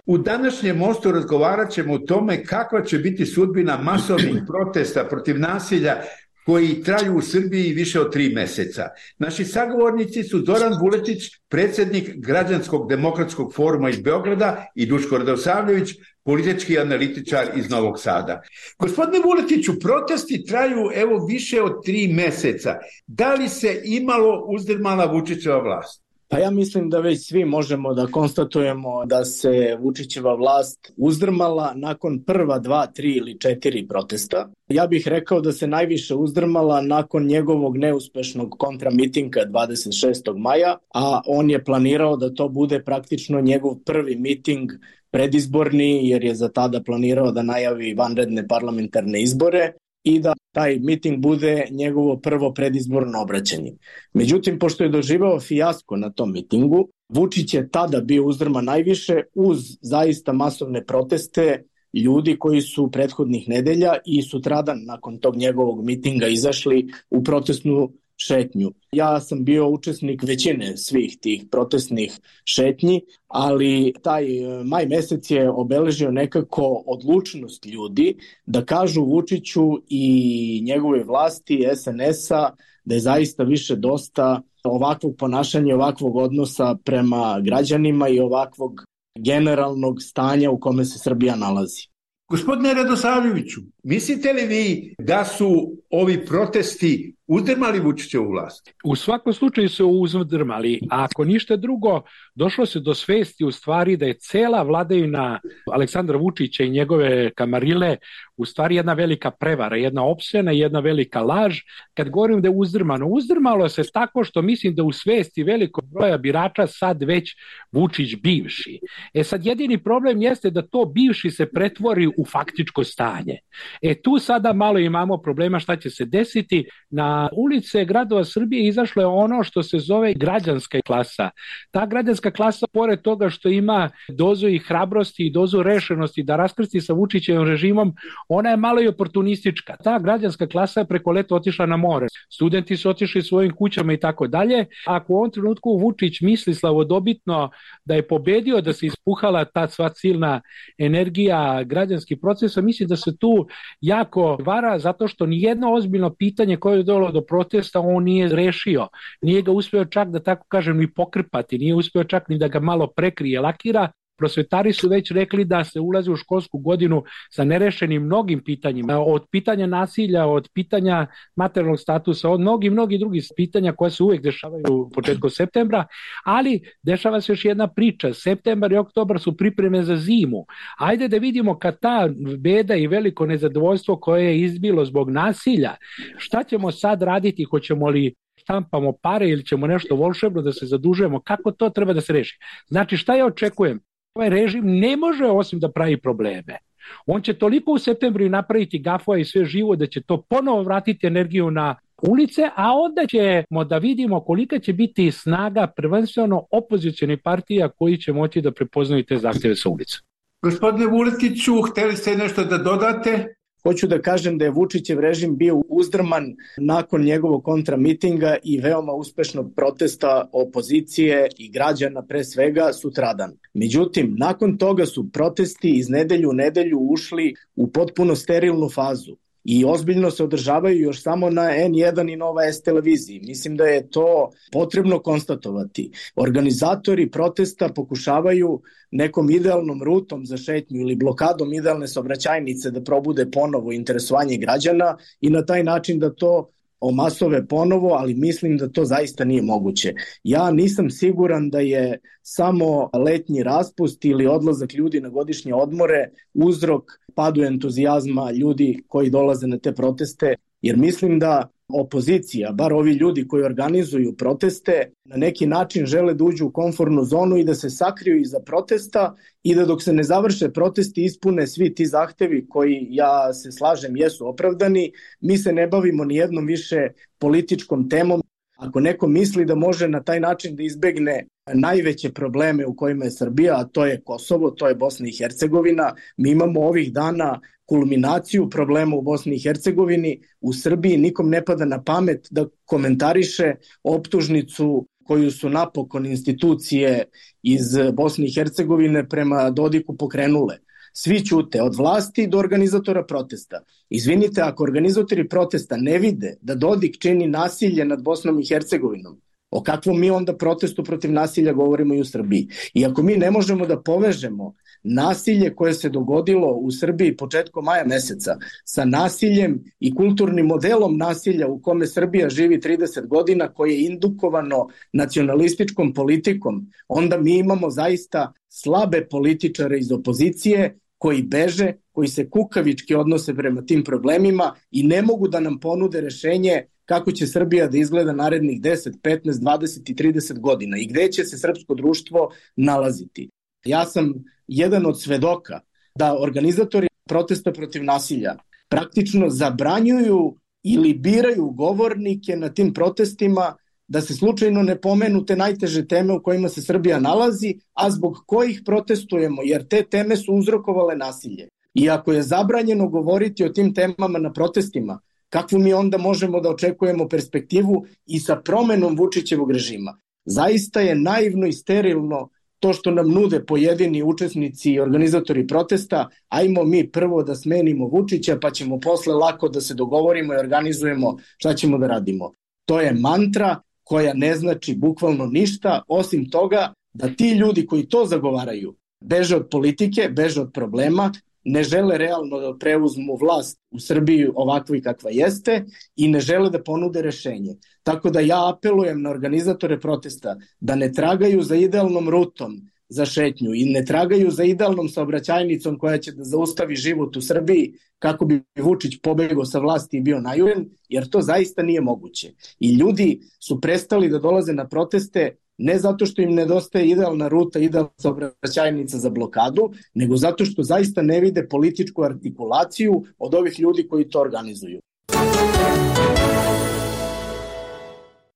U današnjem Mostu razgovarat ćemo o tome kakva će biti sudbina masovnih protesta protiv nasilja koji traju u Srbiji više od tri mjeseca. Naši sagovornici su Zoran Vuletić, predsjednik Građanskog demokratskog foruma iz Beograda, i Duško Radosavljević, politički analitičar iz Novog Sada. Gospodine Vuletiću, protesti traju evo više od tri mjeseca. Da li se imalo uzdrmala Vučićeva vlast? Pa ja mislim da već svi možemo da konstatujemo da se Vučićeva vlast uzdrmala nakon prva dva, tri ili četiri protesta. Ja bih rekao da se najviše uzdrmala nakon njegovog neuspešnog kontramitinga dvadeset šestog maja, a on je planirao da to bude praktično njegov prvi miting predizborni, jer je za tada planirao da najavi vanredne parlamentarne izbore i da taj miting bude njegovo prvo predizborno obraćanje. Međutim, pošto je doživao fijasko na tom mitingu, Vučić je tada bio uzdrman najviše uz zaista masovne proteste ljudi koji su prethodnih nedelja i sutradan nakon tog njegovog mitinga izašli u protestnu šetnju. Ja sam bio učesnik većine svih tih protestnih šetnji, ali taj maj mesec je obeležio nekako odlučnost ljudi da kažu Vučiću i njegove vlasti es en es-a da je zaista više dosta ovakvog ponašanja, ovakvog odnosa prema građanima i ovakvog generalnog stanja u kome se Srbija nalazi. Gospodine Radosavljeviću, mislite li vi da su ovi protesti uzdrmali Vučićevu vlast? U svakom slučaju su uzdrmali, a ako ništa drugo, došlo se do svesti u stvari da je cela vladavina Aleksandra Vučića i njegove kamarile u stvari jedna velika prevara, jedna opsena, jedna velika laž. Kad govorim da je uzdrmano, uzdrmalo se tako što mislim da u svesti velikog broja birača sad već Vučić bivši. E sad jedini problem jeste da to bivši se pretvori u faktičko stanje. E tu sada malo imamo problema šta će se desiti. Na ulice gradova Srbije izašlo je ono što se zove građanska klasa. Ta građanska klasa, pored toga što ima dozu i hrabrosti i dozu rešenosti da raskrsti sa Vučićevim režimom, ona je malo i oportunistička. Ta građanska klasa je preko leta otišla na more. Studenti su otišli svojim kućama i tako dalje. Ako u ovom trenutku Vučić misli slavodobitno da je pobedio, da se ispuhala ta sva silna energija građanskih procesa, mislim da se tu jako vara zato što nijedno ozbiljno pitanje koje je dovelo do protesta on nije rešio. Nije ga uspio čak da tako kažem ni pokrpati, nije uspio čak ni da ga malo prekrije, lakira. Prosvetari su već rekli da se ulazi u školsku godinu sa nerešenim mnogim pitanjima, od pitanja nasilja, od pitanja materijalnog statusa, od mnogi, mnogi drugih pitanja koja se uvijek dešavaju početkom septembra, ali dešava se još jedna priča. Septembar i oktobar su pripreme za zimu. Ajde da vidimo kad ta beda i veliko nezadovoljstvo koje je izbilo zbog nasilja, šta ćemo sad raditi, hoćemo li štampamo pare ili ćemo nešto volšebno da se zadužujemo, kako to treba da se reši. Znači šta ja očekujem? Ovaj režim ne može osim da pravi probleme. On će toliko u septembru napraviti gafova i sve živo da će to ponovo vratiti energiju na ulice, a onda ćemo da vidimo kolika će biti snaga prvenstveno opozicionih partija koji će moći da prepoznaju te zahtjeve sa ulica. Gospodine Vuletiću, hteli ste nešto da dodate? Hoću da kažem da je Vučićev režim bio uzdrman nakon njegovog kontramitinga i veoma uspešnog protesta opozicije i građana pre svega sutradan. Međutim, nakon toga su protesti iz nedelju u nedelju ušli u potpuno sterilnu fazu i ozbiljno se održavaju još samo na en jedan i Nova S televiziji. Mislim da je to potrebno konstatovati. Organizatori protesta pokušavaju nekom idealnom rutom za šetnju ili blokadom idealne saobraćajnice da probude ponovo interesovanje građana i na taj način da to omasove ponovo, ali mislim da to zaista nije moguće. Ja nisam siguran da je samo letnji raspust ili odlazak ljudi na godišnje odmore uzrok padu entuzijazma ljudi koji dolaze na te proteste, jer mislim da opozicija, bar ovi ljudi koji organizuju proteste, na neki način žele da uđu u komfortnu zonu i da se sakriju iza protesta i da dok se ne završe protesti ispune svi ti zahtevi koji, ja se slažem, jesu opravdani. Mi se ne bavimo ni jednom više političkom temom. Ako neko misli da može na taj način da izbegne najveće probleme u kojima je Srbija, a to je Kosovo, to je Bosna i Hercegovina, mi imamo ovih dana kulminaciju problema u Bosni i Hercegovini. U Srbiji nikom ne pada na pamet da komentariše optužnicu koju su napokon institucije iz Bosne i Hercegovine prema Dodiku pokrenule. Svi ćute, od vlasti do organizatora protesta. Izvinite, ako organizatori protesta ne vide da Dodik čini nasilje nad Bosnom i Hercegovinom, o kakvom mi onda protestu protiv nasilja govorimo i u Srbiji? I ako mi ne možemo da povežemo nasilje koje se dogodilo u Srbiji početkom maja meseca sa nasiljem i kulturnim modelom nasilja u kome Srbija živi trideset godina, koje je indukovano nacionalističkom politikom, onda mi imamo zaista slabe političare iz opozicije koji beže, koji se kukavički odnose prema tim problemima i ne mogu da nam ponude rešenje kako će Srbija da izgleda narednih deset, petnaest, dvadeset i trideset godina i gde će se srpsko društvo nalaziti. Ja sam jedan od svedoka da organizatori protesta protiv nasilja praktično zabranjuju ili biraju govornike na tim protestima da se slučajno ne pomenu te najteže teme u kojima se Srbija nalazi, a zbog kojih protestujemo, jer te teme su uzrokovale nasilje. I ako je zabranjeno govoriti o tim temama na protestima, kakvu mi onda možemo da očekujemo perspektivu i sa promenom Vučićevog režima? Zaista je naivno i sterilno to što nam nude pojedini učesnici i organizatori protesta, ajmo mi prvo da smenimo Vučića pa ćemo posle lako da se dogovorimo i organizujemo šta ćemo da radimo. To je mantra koja ne znači bukvalno ništa, osim toga da ti ljudi koji to zagovaraju beže od politike, beže od problema, ne žele realno da preuzmu vlast u Srbiji ovakva i kakva jeste i ne žele da ponude rešenje. Tako da ja apelujem na organizatore protesta da ne tragaju za idealnom rutom za šetnju i ne tragaju za idealnom saobraćajnicom koja će da zaustavi život u Srbiji kako bi Vučić pobegao sa vlasti i bio najuren, jer to zaista nije moguće. I ljudi su prestali da dolaze na proteste ne zato što im nedostaje idealna ruta, idealna saobraćajnica za blokadu, nego zato što zaista ne vide političku artikulaciju od ovih ljudi koji to organizuju.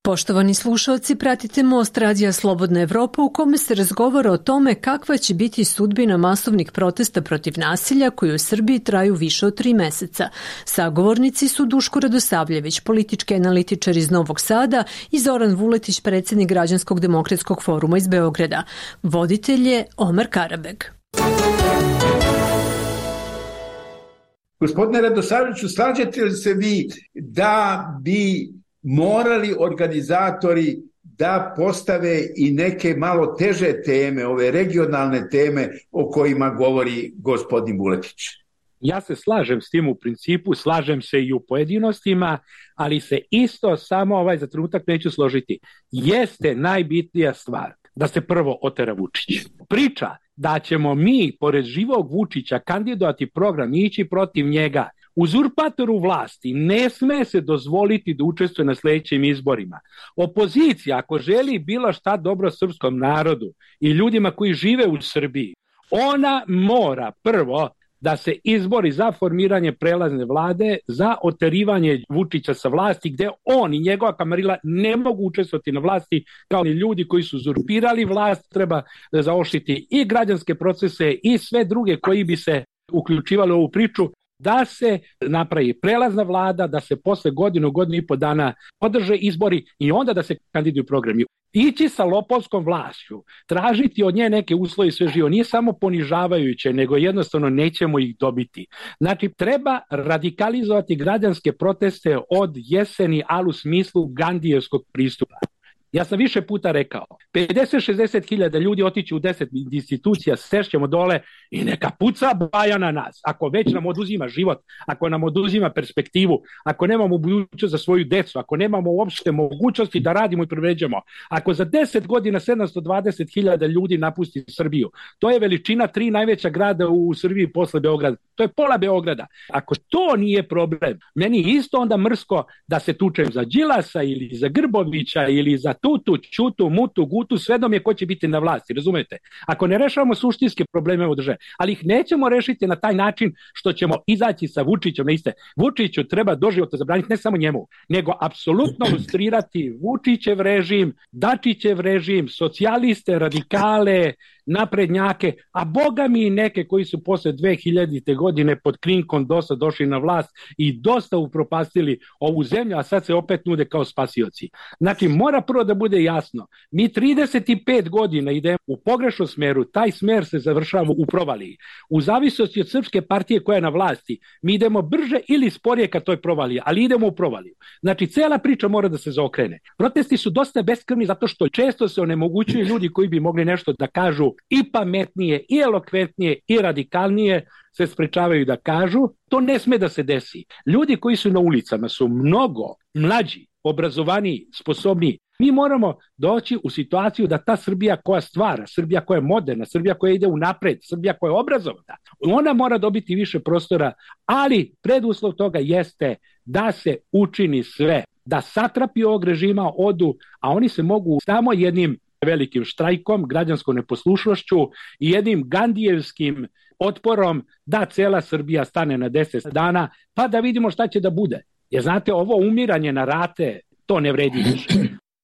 Poštovani slušalci, pratite Most radija Slobodna Evropa u kome se razgovara o tome kakva će biti sudbina masovnih protesta protiv nasilja koji u Srbiji traju više od tri meseca. Sagovornici su Duško Radosavljević, politički analitičar iz Novog Sada, i Zoran Vuletić, predsjednik Građanskog demokratskog foruma iz Beograda. Voditelj je Omar Karabeg. Gospodine Radosavljeviću, slažete li se vi da bi morali organizatori da postave i neke malo teže teme, ove regionalne teme o kojima govori gospodin Vuletić? Ja se slažem s tim u principu, slažem se i u pojedinostima, ali se isto samo ovaj za trenutak neću složiti. Jeste najbitnija stvar da se prvo otera Vučić. Priča da ćemo mi, pored živog Vučića, kandidovati program i ići protiv njega, uzurpatoru vlasti ne sme se dozvoliti da učestvuje na sljedećim izborima. Opozicija, ako želi bilo šta dobro srpskom narodu i ljudima koji žive u Srbiji, ona mora prvo da se izbori za formiranje prelazne vlade, za oterivanje Vučića sa vlasti, gde on i njegova kamarila ne mogu učestvovati na vlasti kao ni ljudi koji su uzurpirali vlast. Treba da zaoštriti i građanske procese i sve druge koji bi se uključivali u ovu priču, da se napravi prelazna vlada, da se posle godinu, godinu i po dana održe izbori i onda da se kandiduju programi. Ići sa lopovskom vlašću, tražiti od nje neke uslove i sve živo, nije samo ponižavajuće, nego jednostavno nećemo ih dobiti. Znači, treba radikalizovati građanske proteste od jeseni, ali u smislu Gandijevskog pristupa. Ja sam više puta rekao, pedeset do šezdeset hiljada ljudi otići u deset institucija, sešćemo dole i neka puca baja na nas. Ako već nam oduzima život, ako nam oduzima perspektivu, ako nemamo budućnost za svoju decu, ako nemamo uopšte mogućnosti da radimo i privređujemo, ako za deset godina sedamsto dvadeset hiljada ljudi napusti Srbiju, to je veličina tri najveća grada u Srbiji posle Beograda. To je pola Beograda. Ako to nije problem, meni isto onda mrsko da se tučem za Đilasa ili za Grbovića ili za Tutu, Ćutu, Mutu, Gutu, sve dom je ko će biti na vlasti, razumete? Ako ne rešavamo suštinske probleme u državi, ali ih nećemo rešiti na taj način što ćemo izaći sa Vučićem na iste. Vučiću treba doživotno zabraniti, ne samo njemu, nego apsolutno lustrirati Vučićev režim, Dačićev režim, socijaliste, radikale, naprednjake, a boga mi i neke koji su posle dve hiljadite godine pod krinkom dosta došli na vlast i dosta upropastili ovu zemlju, a sad se opet nude kao spasioci. Znači, mora prvo da bude jasno, mi trideset pet godina idemo u pogrešnom smeru, taj smer se završava u provaliji. U zavisnosti od Srpske partije koja je na vlasti, mi idemo brže ili sporije ka toj provaliji, ali idemo u provaliju. Znači, cela priča mora da se zaokrene. Protesti su dosta beskrvni zato što često se onemogućuju ljudi koji bi mogli nešto da kažu i pametnije, i elokventnije, i radikalnije, se sprečavaju da kažu. To ne sme da se desi. Ljudi koji su na ulicama su mnogo mlađi, obrazovaniji, sposobniji. Mi moramo doći u situaciju da ta Srbija koja stvara, Srbija koja je moderna, Srbija koja ide u napred, Srbija koja je obrazovana, ona mora dobiti više prostora, ali preduslov toga jeste da se učini sve, da satrapi ovog režima odu, a oni se mogu samo jednim velikim štrajkom, građanskom neposlušnošću i jednim gandijevskim otporom da cela Srbija stane na deset dana, pa da vidimo šta će da bude. Jer znate, ovo umiranje na rate, to ne vredi više.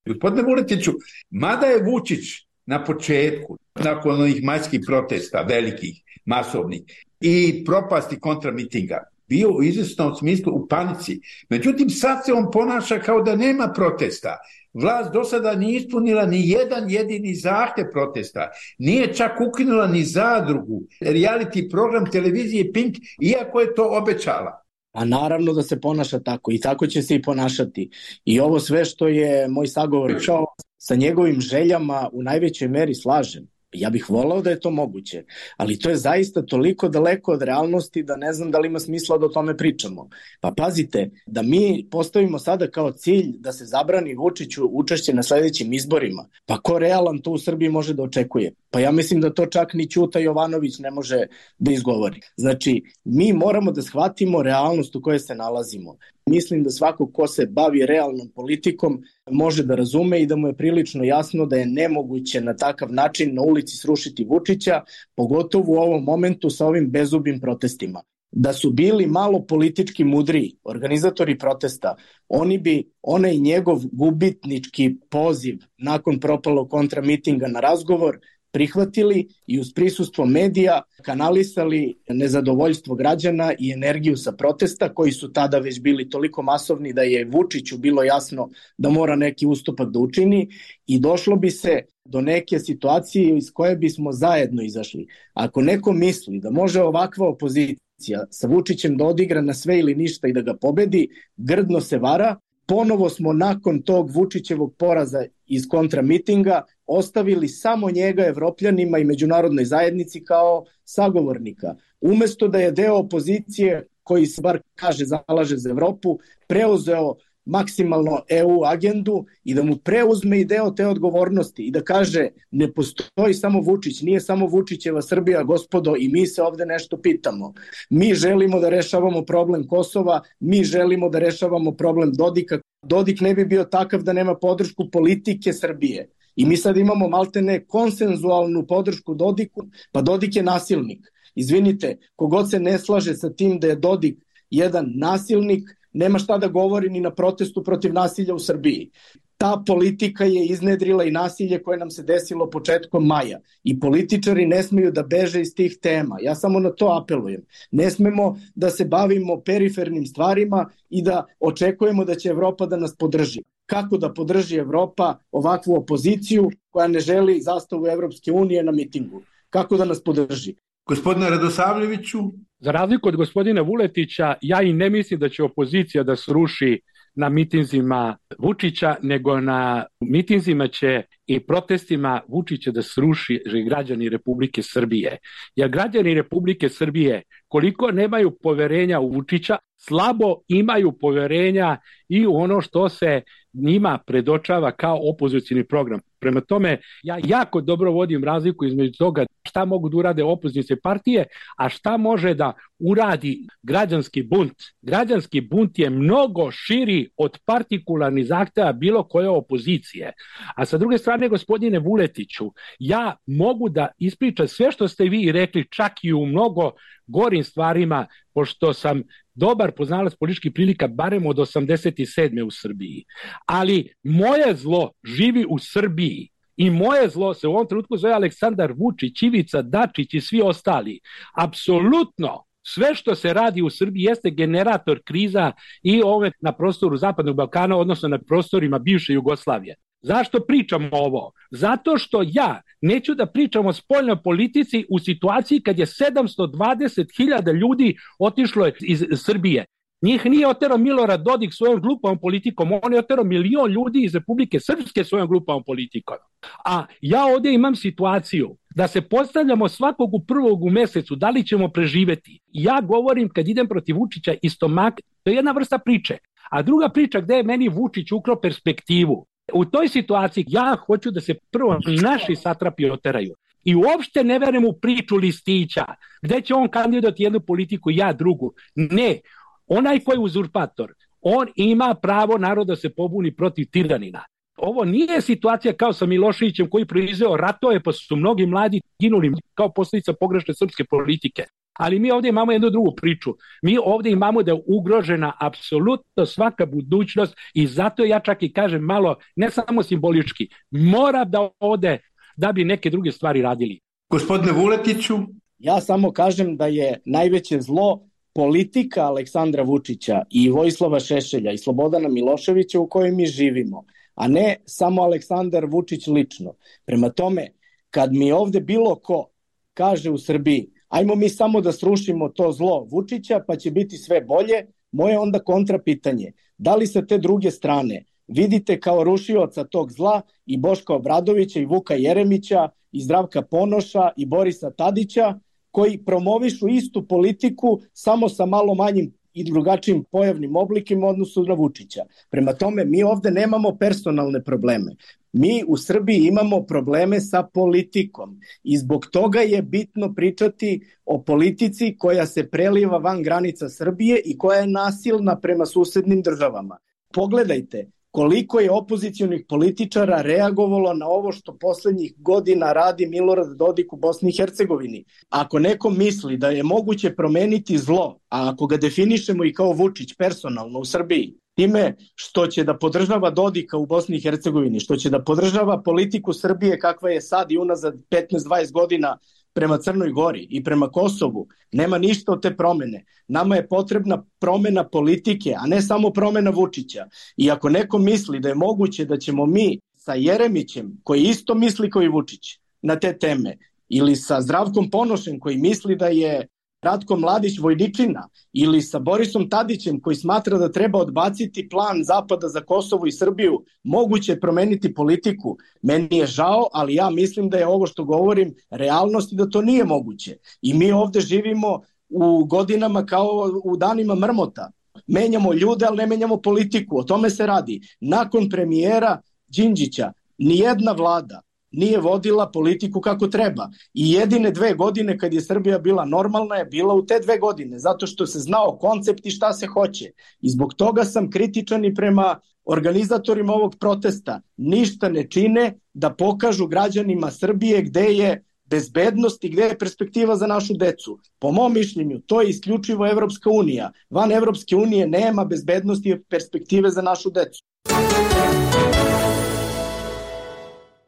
Gospodine Vuletiću, mada je Vučić na početku, nakon onih majskih protesta, velikih, masovnih, i propasti kontramitinga, bio u izvesnom smislu u panici. Međutim, sad se on ponaša kao da nema protesta. Vlast do sada nije ispunila ni jedan jedini zahtev protesta. Nije čak ukinula ni zadrugu, reality program televizije Pink, iako je to obećala. A naravno da se ponaša tako i tako će se i ponašati. I ovo sve što je moj sagovornik rekao, sa njegovim željama u najvećoj meri slažem. Ja bih volao da je to moguće, ali to je zaista toliko daleko od realnosti da ne znam da li ima smisla da o tome pričamo. Pa pazite, da mi postavimo sada kao cilj da se zabrani Vučiću učešće na sledećim izborima, pa ko realan to u Srbiji može da očekuje? Pa ja mislim da to čak ni Ćuta Jovanović ne može da izgovori. Znači, mi moramo da shvatimo realnost u kojoj se nalazimo. Mislim da svako ko se bavi realnom politikom može da razume i da mu je prilično jasno da je nemoguće na takav način na ulici srušiti Vučića, pogotovo u ovom momentu sa ovim bezubim protestima. Da su bili malo politički mudriji, organizatori protesta, oni bi onaj njegov gubitnički poziv nakon propalog kontramitinga na razgovor prihvatili i uz prisustvo medija kanalisali nezadovoljstvo građana i energiju sa protesta koji su tada već bili toliko masovni da je Vučiću bilo jasno da mora neki ustupak da učini i došlo bi se do neke situacije iz koje bismo zajedno izašli. Ako neko misli da može ovakva opozicija sa Vučićem da odigra na sve ili ništa i da ga pobedi, grdno se vara. Ponovo smo nakon tog Vučićevog poraza iz kontramitinga ostavili samo njega Evropljanima i međunarodnoj zajednici kao sagovornika. Umesto da je deo opozicije koji se bar kaže zalaže za Evropu, preuzeo maksimalno E U agendu i da mu preuzme i deo te odgovornosti i da kaže ne postoji samo Vučić, nije samo Vučićeva Srbija, gospodo, i mi se ovde nešto pitamo. Mi želimo da rešavamo problem Kosova, mi želimo da rešavamo problem Dodika. Dodik ne bi bio takav da nema podršku politike Srbije. I mi sad imamo maltene konsenzualnu podršku Dodiku, pa Dodik je nasilnik. Izvinite, kogod se ne slaže sa tim da je Dodik jedan nasilnik, nema šta da govori ni na protestu protiv nasilja u Srbiji. Ta politika je iznedrila i nasilje koje nam se desilo početkom maja i političari ne smeju da beže iz tih tema. Ja samo na to apelujem. Ne smemo da se bavimo perifernim stvarima i da očekujemo da će Evropa da nas podrži. Kako da podrži Evropa ovakvu opoziciju koja ne želi zastavu Evropske unije na mitingu? Kako da nas podrži? Gospodine Radosavljeviću? Za razliku od gospodina Vuletića, ja i ne mislim da će opozicija da sruši na mitinzima Vučića, nego na mitinzima će i protestima Vučića da sruši građani Republike Srbije. Jer građani Republike Srbije, koliko nemaju poverenja u Vučića, slabo imaju poverenja i u ono što se njima predočava kao opozicioni program. Prema tome, ja jako dobro vodim razliku između toga šta mogu da urade opozicione partije, a šta može da uradi građanski bunt. Građanski bunt je mnogo širi od partikularnih zahteva bilo koje opozicije. A sa druge strane, gospodine Vuletiću, ja mogu da ispričam sve što ste vi rekli, čak i u mnogo gorim stvarima, pošto sam dobar poznalac političkih prilika barem od osamdeset sedme u Srbiji. Ali moje zlo živi u Srbiji i moje zlo se u ovom trenutku zove Aleksandar Vučić, Ivica Dačić i svi ostali. Apsolutno sve što se radi u Srbiji jeste generator kriza i ove na prostoru Zapadnog Balkana, odnosno na prostorima bivše Jugoslavije. Zašto pričam ovo? Zato što ja neću da pričam o spoljnoj politici u situaciji kad je sedamsto dvadeset hiljada ljudi otišlo iz Srbije. Njih nije oterao Milorad Dodik svojom glupavom politikom, on je oterao milion ljudi iz Republike Srpske svojom glupavom politikom. A ja ovdje imam situaciju da se postavljamo svakog u prvog u mesecu, da li ćemo preživeti. Ja govorim kad idem protiv Vučića iz stomaka, to je jedna vrsta priče. A druga priča gde je meni Vučić ukrao perspektivu. U toj situaciji ja hoću da se prvo naši satrapi oteraju. I uopšte ne verujem u priču listića, gde će on kandidovati jednu politiku, ja drugu. Ne, onaj koji je uzurpator, on ima pravo naroda da se pobuni protiv tiranina. Ovo nije situacija kao sa Miloševićem koji proizveo ratove, pa su mnogi mladi ginuli kao posljedica pogrešne srpske politike. Ali mi ovdje imamo jednu drugu priču. Mi ovdje imamo da je ugrožena apsolutno svaka budućnost i zato ja čak i kažem malo, ne samo simbolički, mora da ode da bi neke druge stvari radili. Gospodine Vuletiću? Ja samo kažem da je najveće zlo politika Aleksandra Vučića i Vojislava Šešelja i Slobodana Miloševića u kojoj mi živimo, a ne samo Aleksandar Vučić lično. Prema tome, kad mi ovdje bilo ko kaže u Srbiji ajmo mi samo da srušimo to zlo Vučića pa će biti sve bolje, moje onda kontra pitanje. Da li sa te druge strane vidite kao rušioca tog zla i Boška Obradovića i Vuka Jeremića i Zdravka Ponoša i Borisa Tadića koji promovišu istu politiku samo sa malo manjim i drugačijim pojavnim oblikim u odnosu na Vučića. Prema tome, mi ovde nemamo personalne probleme. Mi u Srbiji imamo probleme sa politikom i zbog toga je bitno pričati o politici koja se preliva van granica Srbije i koja je nasilna prema susednim državama. Pogledajte koliko je opozicionih političara reagovalo na ovo što poslednjih godina radi Milorad Dodik u Bosni i Hercegovini. Ako neko misli da je moguće promeniti zlo, a ako ga definišemo i kao Vučić personalno u Srbiji, time što će da podržava Dodika u Bosni i Hercegovini, što će da podržava politiku Srbije kakva je sad i unazad petnaest dvadeset godina prema Crnoj Gori i prema Kosovu, nema ništa od te promene. Nama je potrebna promena politike, a ne samo promena Vučića. I ako neko misli da je moguće da ćemo mi sa Jeremićem, koji isto misli kao i Vučić na te teme, ili sa Zdravkom Ponošem koji misli da je Ratko Mladić vojničina, ili sa Borisom Tadićem koji smatra da treba odbaciti plan Zapada za Kosovo i Srbiju, moguće je promeniti politiku. Meni je žao, ali ja mislim da je ovo što govorim realnost i da to nije moguće. I mi ovde živimo u godinama kao u danima mrmota. Menjamo ljude, ali ne menjamo politiku. O tome se radi. Nakon premijera Đinđića, nijedna vlada nije vodila politiku kako treba. I jedine dve godine kad je Srbija bila normalna je bila u te dve godine, zato što se znao koncept i šta se hoće. I zbog toga sam kritičan i prema organizatorima ovog protesta. Ništa ne čine da pokažu građanima Srbije gde je bezbednost i gde je perspektiva za našu decu? Po mom mišljenju, to je isključivo Evropska unija. Van Evropske unije nema bezbednosti i perspektive za našu decu.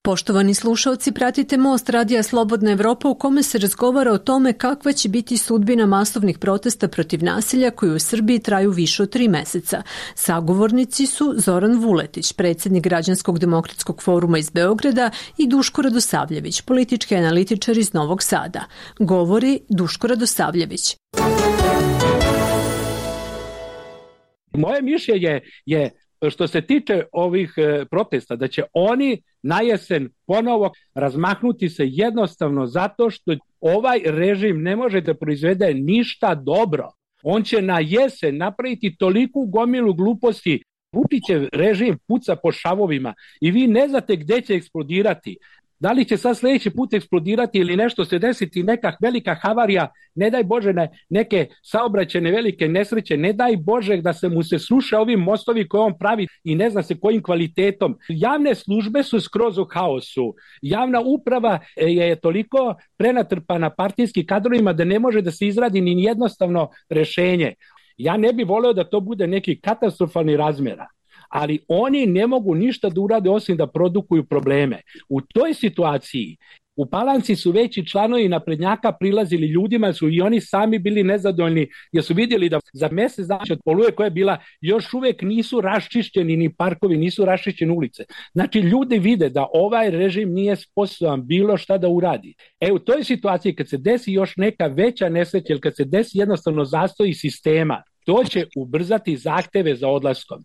Poštovani slušalci, pratite Most radija Slobodna Evropa u kome se razgovara o tome kakva će biti sudbina masovnih protesta protiv nasilja koji u Srbiji traju više od tri meseca. Sagovornici su Zoran Vuletić, predsjednik Građanskog demokratskog foruma iz Beograda, i Duško Radosavljević, politički analitičar iz Novog Sada. Govori Duško Radosavljević. Moje mišljenje je, što se tiče ovih protesta, da će oni na jesen ponovo razmahnuti se jednostavno zato što ovaj režim ne može da proizvede ništa dobro. On će na jesen napraviti toliku gomilu gluposti. Vučićev režim puca po šavovima i vi ne znate gde će eksplodirati. Da li će sad sljedeći put eksplodirati ili nešto se desiti, neka velika havarija, ne daj Bože ne, neke saobraćajne velike nesreće, ne daj Bože da se mu se sruše ovi mostovi koje on pravi i ne zna se kojim kvalitetom. Javne službe su skroz u haosu. Javna uprava je toliko prenatrpana partijskim kadrovima da ne može da se izradi ni jednostavno rešenje. Ja ne bih voleo da to bude neki katastrofalni razmjera. Ali oni ne mogu ništa da urade osim da produkuju probleme. U toj situaciji u Palanci su veći članovi naprednjaka prilazili ljudima, su i oni sami bili nezadovoljni jer su vidjeli da za mjesec dana od Oluje koja je bila još uvijek nisu raščišćeni ni parkovi, nisu raščišćene ulice. Znači ljudi vide da ovaj režim nije sposoban bilo šta da uradi. E u toj situaciji kad se desi još neka veća nesreća ili kad se desi jednostavno zastoji sistema, to će ubrzati zahteve za odlaskom.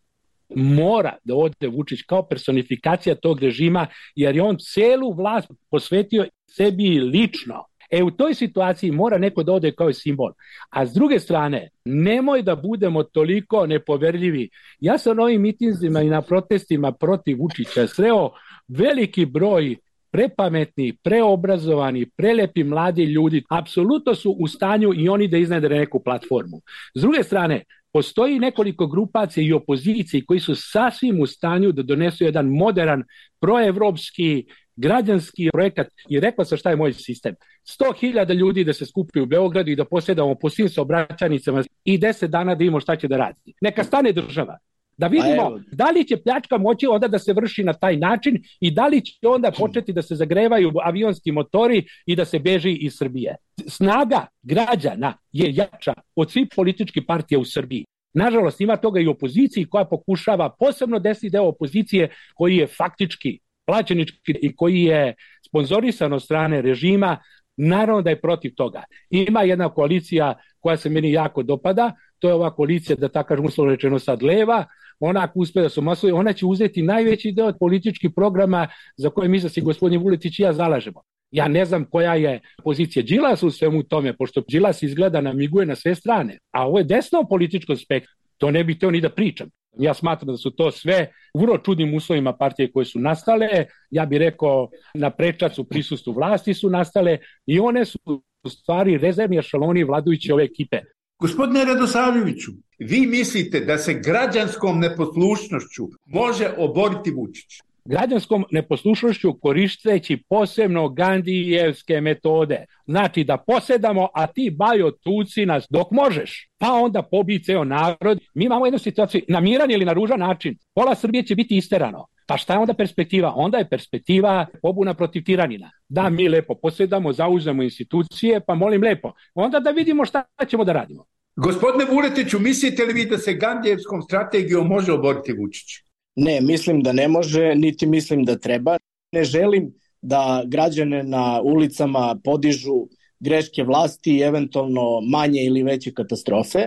Mora da ode Vučić kao personifikacija tog režima jer je on celu vlast posvetio sebi lično. E u toj situaciji mora neko da ode kao simbol. A s druge strane, nemoj da budemo toliko nepoverljivi. Ja sam na ovim mitinzima i na protestima protiv Vučića sreo veliki broj prepametni, preobrazovani, prelepi mladi ljudi. Apsolutno su u stanju i oni da iznedre neku platformu. S druge strane, postoji nekoliko grupacija i opozicije koji su sasvim u stanju da donesu jedan modern, proevropski, građanski projekat i rekla sam šta je moj sistem. sto hiljada ljudi da se skupaju u Beogradu i da posjedamo po svim saobraćajnicama i deset dana da imamo šta će da radi. Neka stane država. Da vidimo da li će pljačka moći onda da se vrši na taj način i da li će onda početi da se zagrevaju avionski motori i da se beži iz Srbije. Snaga građana je jača od svih političkih partija u Srbiji. Nažalost, ima toga i opoziciji koja pokušava, posebno desni deo opozicije koji je faktički plaćenički i koji je sponzorisan od strane režima, naravno da je protiv toga. Ima jedna koalicija koja se meni jako dopada, to je ova koalicija, da tako kažem uslovno rečeno sad leva, ona ako uspe da su masovi, ona će uzeti najveći deo od političkih programa za koje mi se gospodin Vuletić i ja zalažemo. Ja ne znam koja je pozicija Đilasa u svemu tome, pošto Đilas izgleda namiguje na sve strane, a ovo je desno političko spektrum, to ne bih teo ni da pričam. Ja smatram da su to sve u vrlo čudnim uslovima partije koje su nastale, ja bih rekao na prečac u prisustvu vlasti su nastale i one su u stvari rezervni ešaloni vladajuće ove ekipe. Gospodine Radosavljeviću, vi mislite da se građanskom neposlušnošću može oboriti Vučić? Građanskom neposlušnošću koristeći posebno Gandijevske metode. Znači da posedamo, a ti bajo tuci nas dok možeš. Pa onda pobij ceo narod. Mi imamo jednu situaciju, na miran ili na ružan način. Pola Srbije će biti isterano. Pa šta je onda perspektiva? Onda je perspektiva pobuna protiv tiranina. Da mi lepo posedamo, zauzemo institucije, pa molim lepo. Onda da vidimo šta ćemo da radimo. Gospodine Vuletiću, mislite li vi da se Gandijevskom strategijom može oboriti Vučić? Ne, mislim da ne može, niti mislim da treba. Ne želim da građane na ulicama podižu greške vlasti i eventualno manje ili veće katastrofe,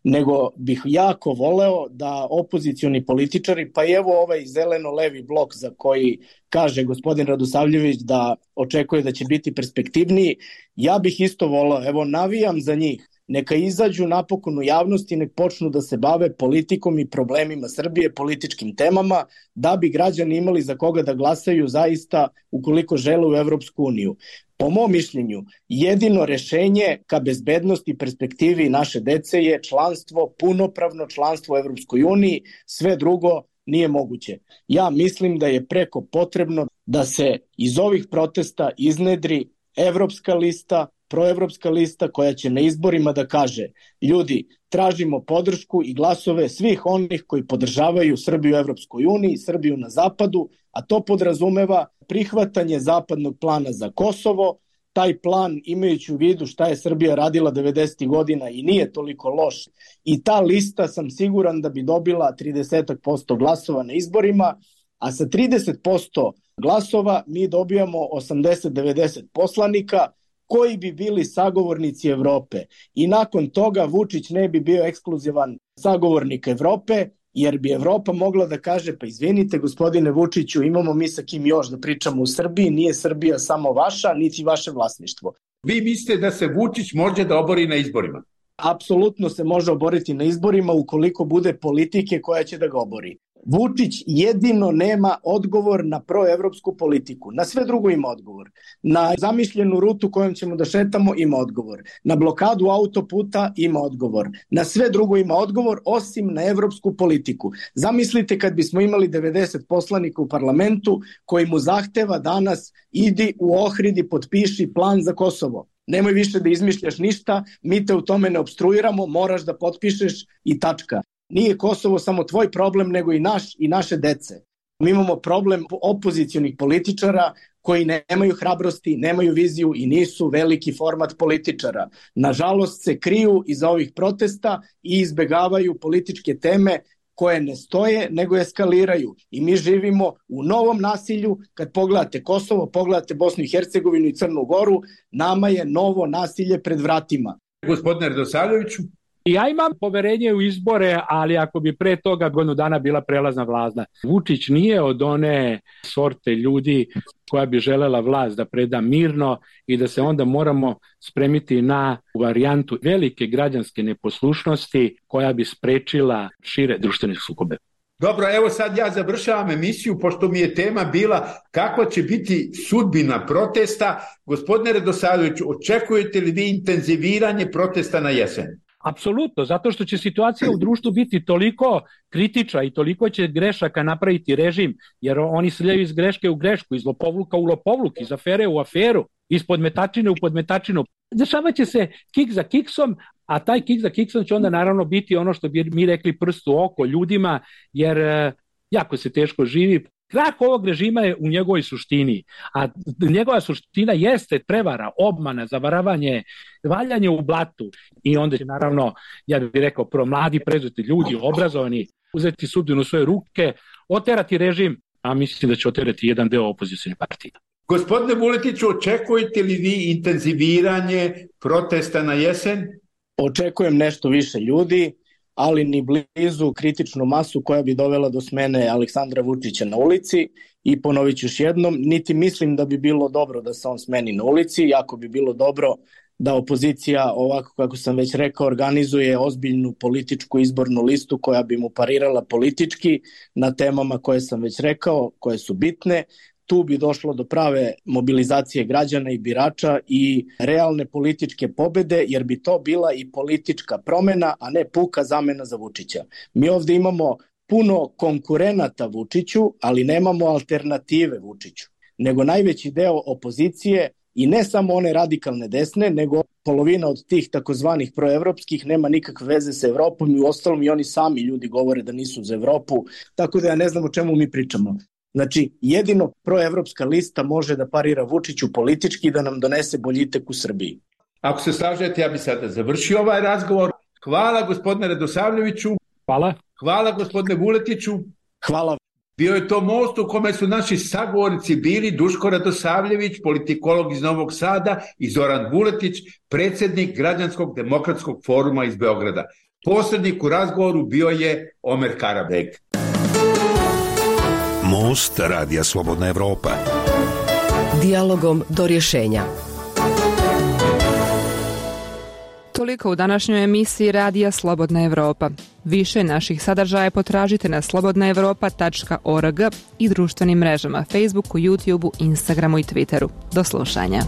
nego bih jako voleo da opozicioni političari, pa i evo ovaj zeleno-levi blok za koji kaže gospodin Radosavljević da očekuje da će biti perspektivniji, ja bih isto voleo, evo navijam za njih, neka izađu napokon u javnosti i nek počnu da se bave politikom i problemima Srbije, političkim temama, da bi građani imali za koga da glasaju zaista ukoliko žele u Evropsku uniju. Po mom mišljenju, jedino rešenje ka bezbednosti i perspektivi naše dece je članstvo, punopravno članstvo u Evropskoj uniji, sve drugo nije moguće. Ja mislim da je preko potrebno da se iz ovih protesta iznedri evropska lista, proevropska lista koja će na izborima da kaže ljudi, tražimo podršku i glasove svih onih koji podržavaju Srbiju u Evropskoj uniji, Srbiju na zapadu, a to podrazumeva prihvatanje zapadnog plana za Kosovo. Taj plan, imajući u vidu šta je Srbija radila devedesetih godina i nije toliko loš, i ta lista sam siguran da bi dobila trideset posto glasova na izborima, a sa trideset posto glasova mi dobijamo osamdeset do devedeset poslanika koji bi bili sagovornici Evrope. I nakon toga Vučić ne bi bio ekskluzivan sagovornik Evrope, jer bi Evropa mogla da kaže, pa izvinite gospodine Vučiću, imamo mi sa kim još da pričamo u Srbiji, nije Srbija samo vaša, niti vaše vlasništvo. Vi mislite da se Vučić može da obori na izborima? Apsolutno se može oboriti na izborima ukoliko bude politike koja će da ga obori. Vučić jedino nema odgovor na proevropsku politiku. Na sve drugo ima odgovor. Na zamišljenu rutu kojom ćemo da šetamo ima odgovor. Na blokadu autoputa ima odgovor. Na sve drugo ima odgovor osim na evropsku politiku. Zamislite kad bismo imali devedeset poslanika u parlamentu koji mu zahteva danas idi u Ohrid i potpiši plan za Kosovo. Nemoj više da izmišljaš ništa, mi te u tome ne opstruiramo, moraš da potpišeš i tačka. Nije Kosovo samo tvoj problem, nego i naš i naše dece. Mi imamo problem opozicionih političara koji nemaju hrabrosti, nemaju viziju i nisu veliki format političara. Nažalost se kriju iza ovih protesta i izbegavaju političke teme koje ne stoje, nego eskaliraju. I mi živimo u novom nasilju. Kad pogledate Kosovo, pogledate Bosnu i Hercegovinu i Crnu Goru, nama je novo nasilje pred vratima. Gospodine Radosavljeviću? Ja imam poverenje u izbore, ali ako bi pre toga godinu dana bila prelazna vlada. Vučić nije od one sorte ljudi koja bi želela vlast da preda mirno i da se onda moramo spremiti na varijantu velike građanske neposlušnosti koja bi sprečila šire društvene sukobe. Dobro, evo sad ja završavam emisiju, pošto mi je tema bila kakva će biti sudbina protesta. Gospodine Radosavljeviću, očekujete li vi intenziviranje protesta na jesen? Apsolutno, zato što će situacija u društvu biti toliko kritična i toliko će grešaka napraviti režim, jer oni sljaju iz greške u grešku, iz lopovluka u lopovluk, iz afere u aferu, iz podmetačine u podmetačinu. Dešavat će se kik za kiksom, a taj kik za kiksom će onda naravno biti ono što bi mi rekli prst u oko ljudima, jer jako se teško živi. Krah ovog režima je u njegovoj suštini, a njegova suština jeste prevara, obmana, zavaravanje, valjanje u blatu i onda će naravno, ja bih rekao, promladi, prezeti ljudi, obrazovani, uzeti sudbinu u svoje ruke, oterati režim, a mislim da će oterati jedan deo opozicijne partije. Gospodine Vuletiću, očekujete li vi intenziviranje protesta na jesen? Očekujem nešto više ljudi, ali ni blizu kritičnu masu koja bi dovela do smene Aleksandra Vučića na ulici i ponovit ću još jednom, niti mislim da bi bilo dobro da se on smeni na ulici, jako bi bilo dobro da opozicija, ovako kako sam već rekao, organizuje ozbiljnu političku izbornu listu koja bi mu parirala politički na temama koje sam već rekao, koje su bitne. Tu bi došlo do prave mobilizacije građana i birača i realne političke pobede, jer bi to bila i politička promena, a ne puka zamena za Vučića. Mi ovde imamo puno konkurenata Vučiću, ali nemamo alternative Vučiću, nego najveći deo opozicije i ne samo one radikalne desne, nego polovina od tih takozvanih proevropskih nema nikakve veze sa Evropom i u ostalom i oni sami ljudi govore da nisu za Evropu, tako da ja ne znam o čemu mi pričamo. Znači, jedino proevropska lista može da parira Vučiću politički i da nam donese boljitek u Srbiji. Ako se slažete, ja bih sada završio ovaj razgovor. Hvala gospodine Radosavljeviću. Hvala. Hvala gospodine Vuletiću. Hvala. Bio je to most u kome su naši sagovornici bili Duško Radosavljević, politikolog iz Novog Sada, i Zoran Vuletić, predsjednik Građanskog demokratskog foruma iz Beograda. Posrednik u razgovoru bio je Omer Karabek. Most Radija Slobodna Evropa. Dijalogom do rješenja. Toliko u današnjoj emisiji Radija Slobodna Evropa. Više naših sadržaja potražite na slobodna evropa tačka org i društvenim mrežama Facebooku, YouTubeu, Instagramu i Twitteru. Do slušanja.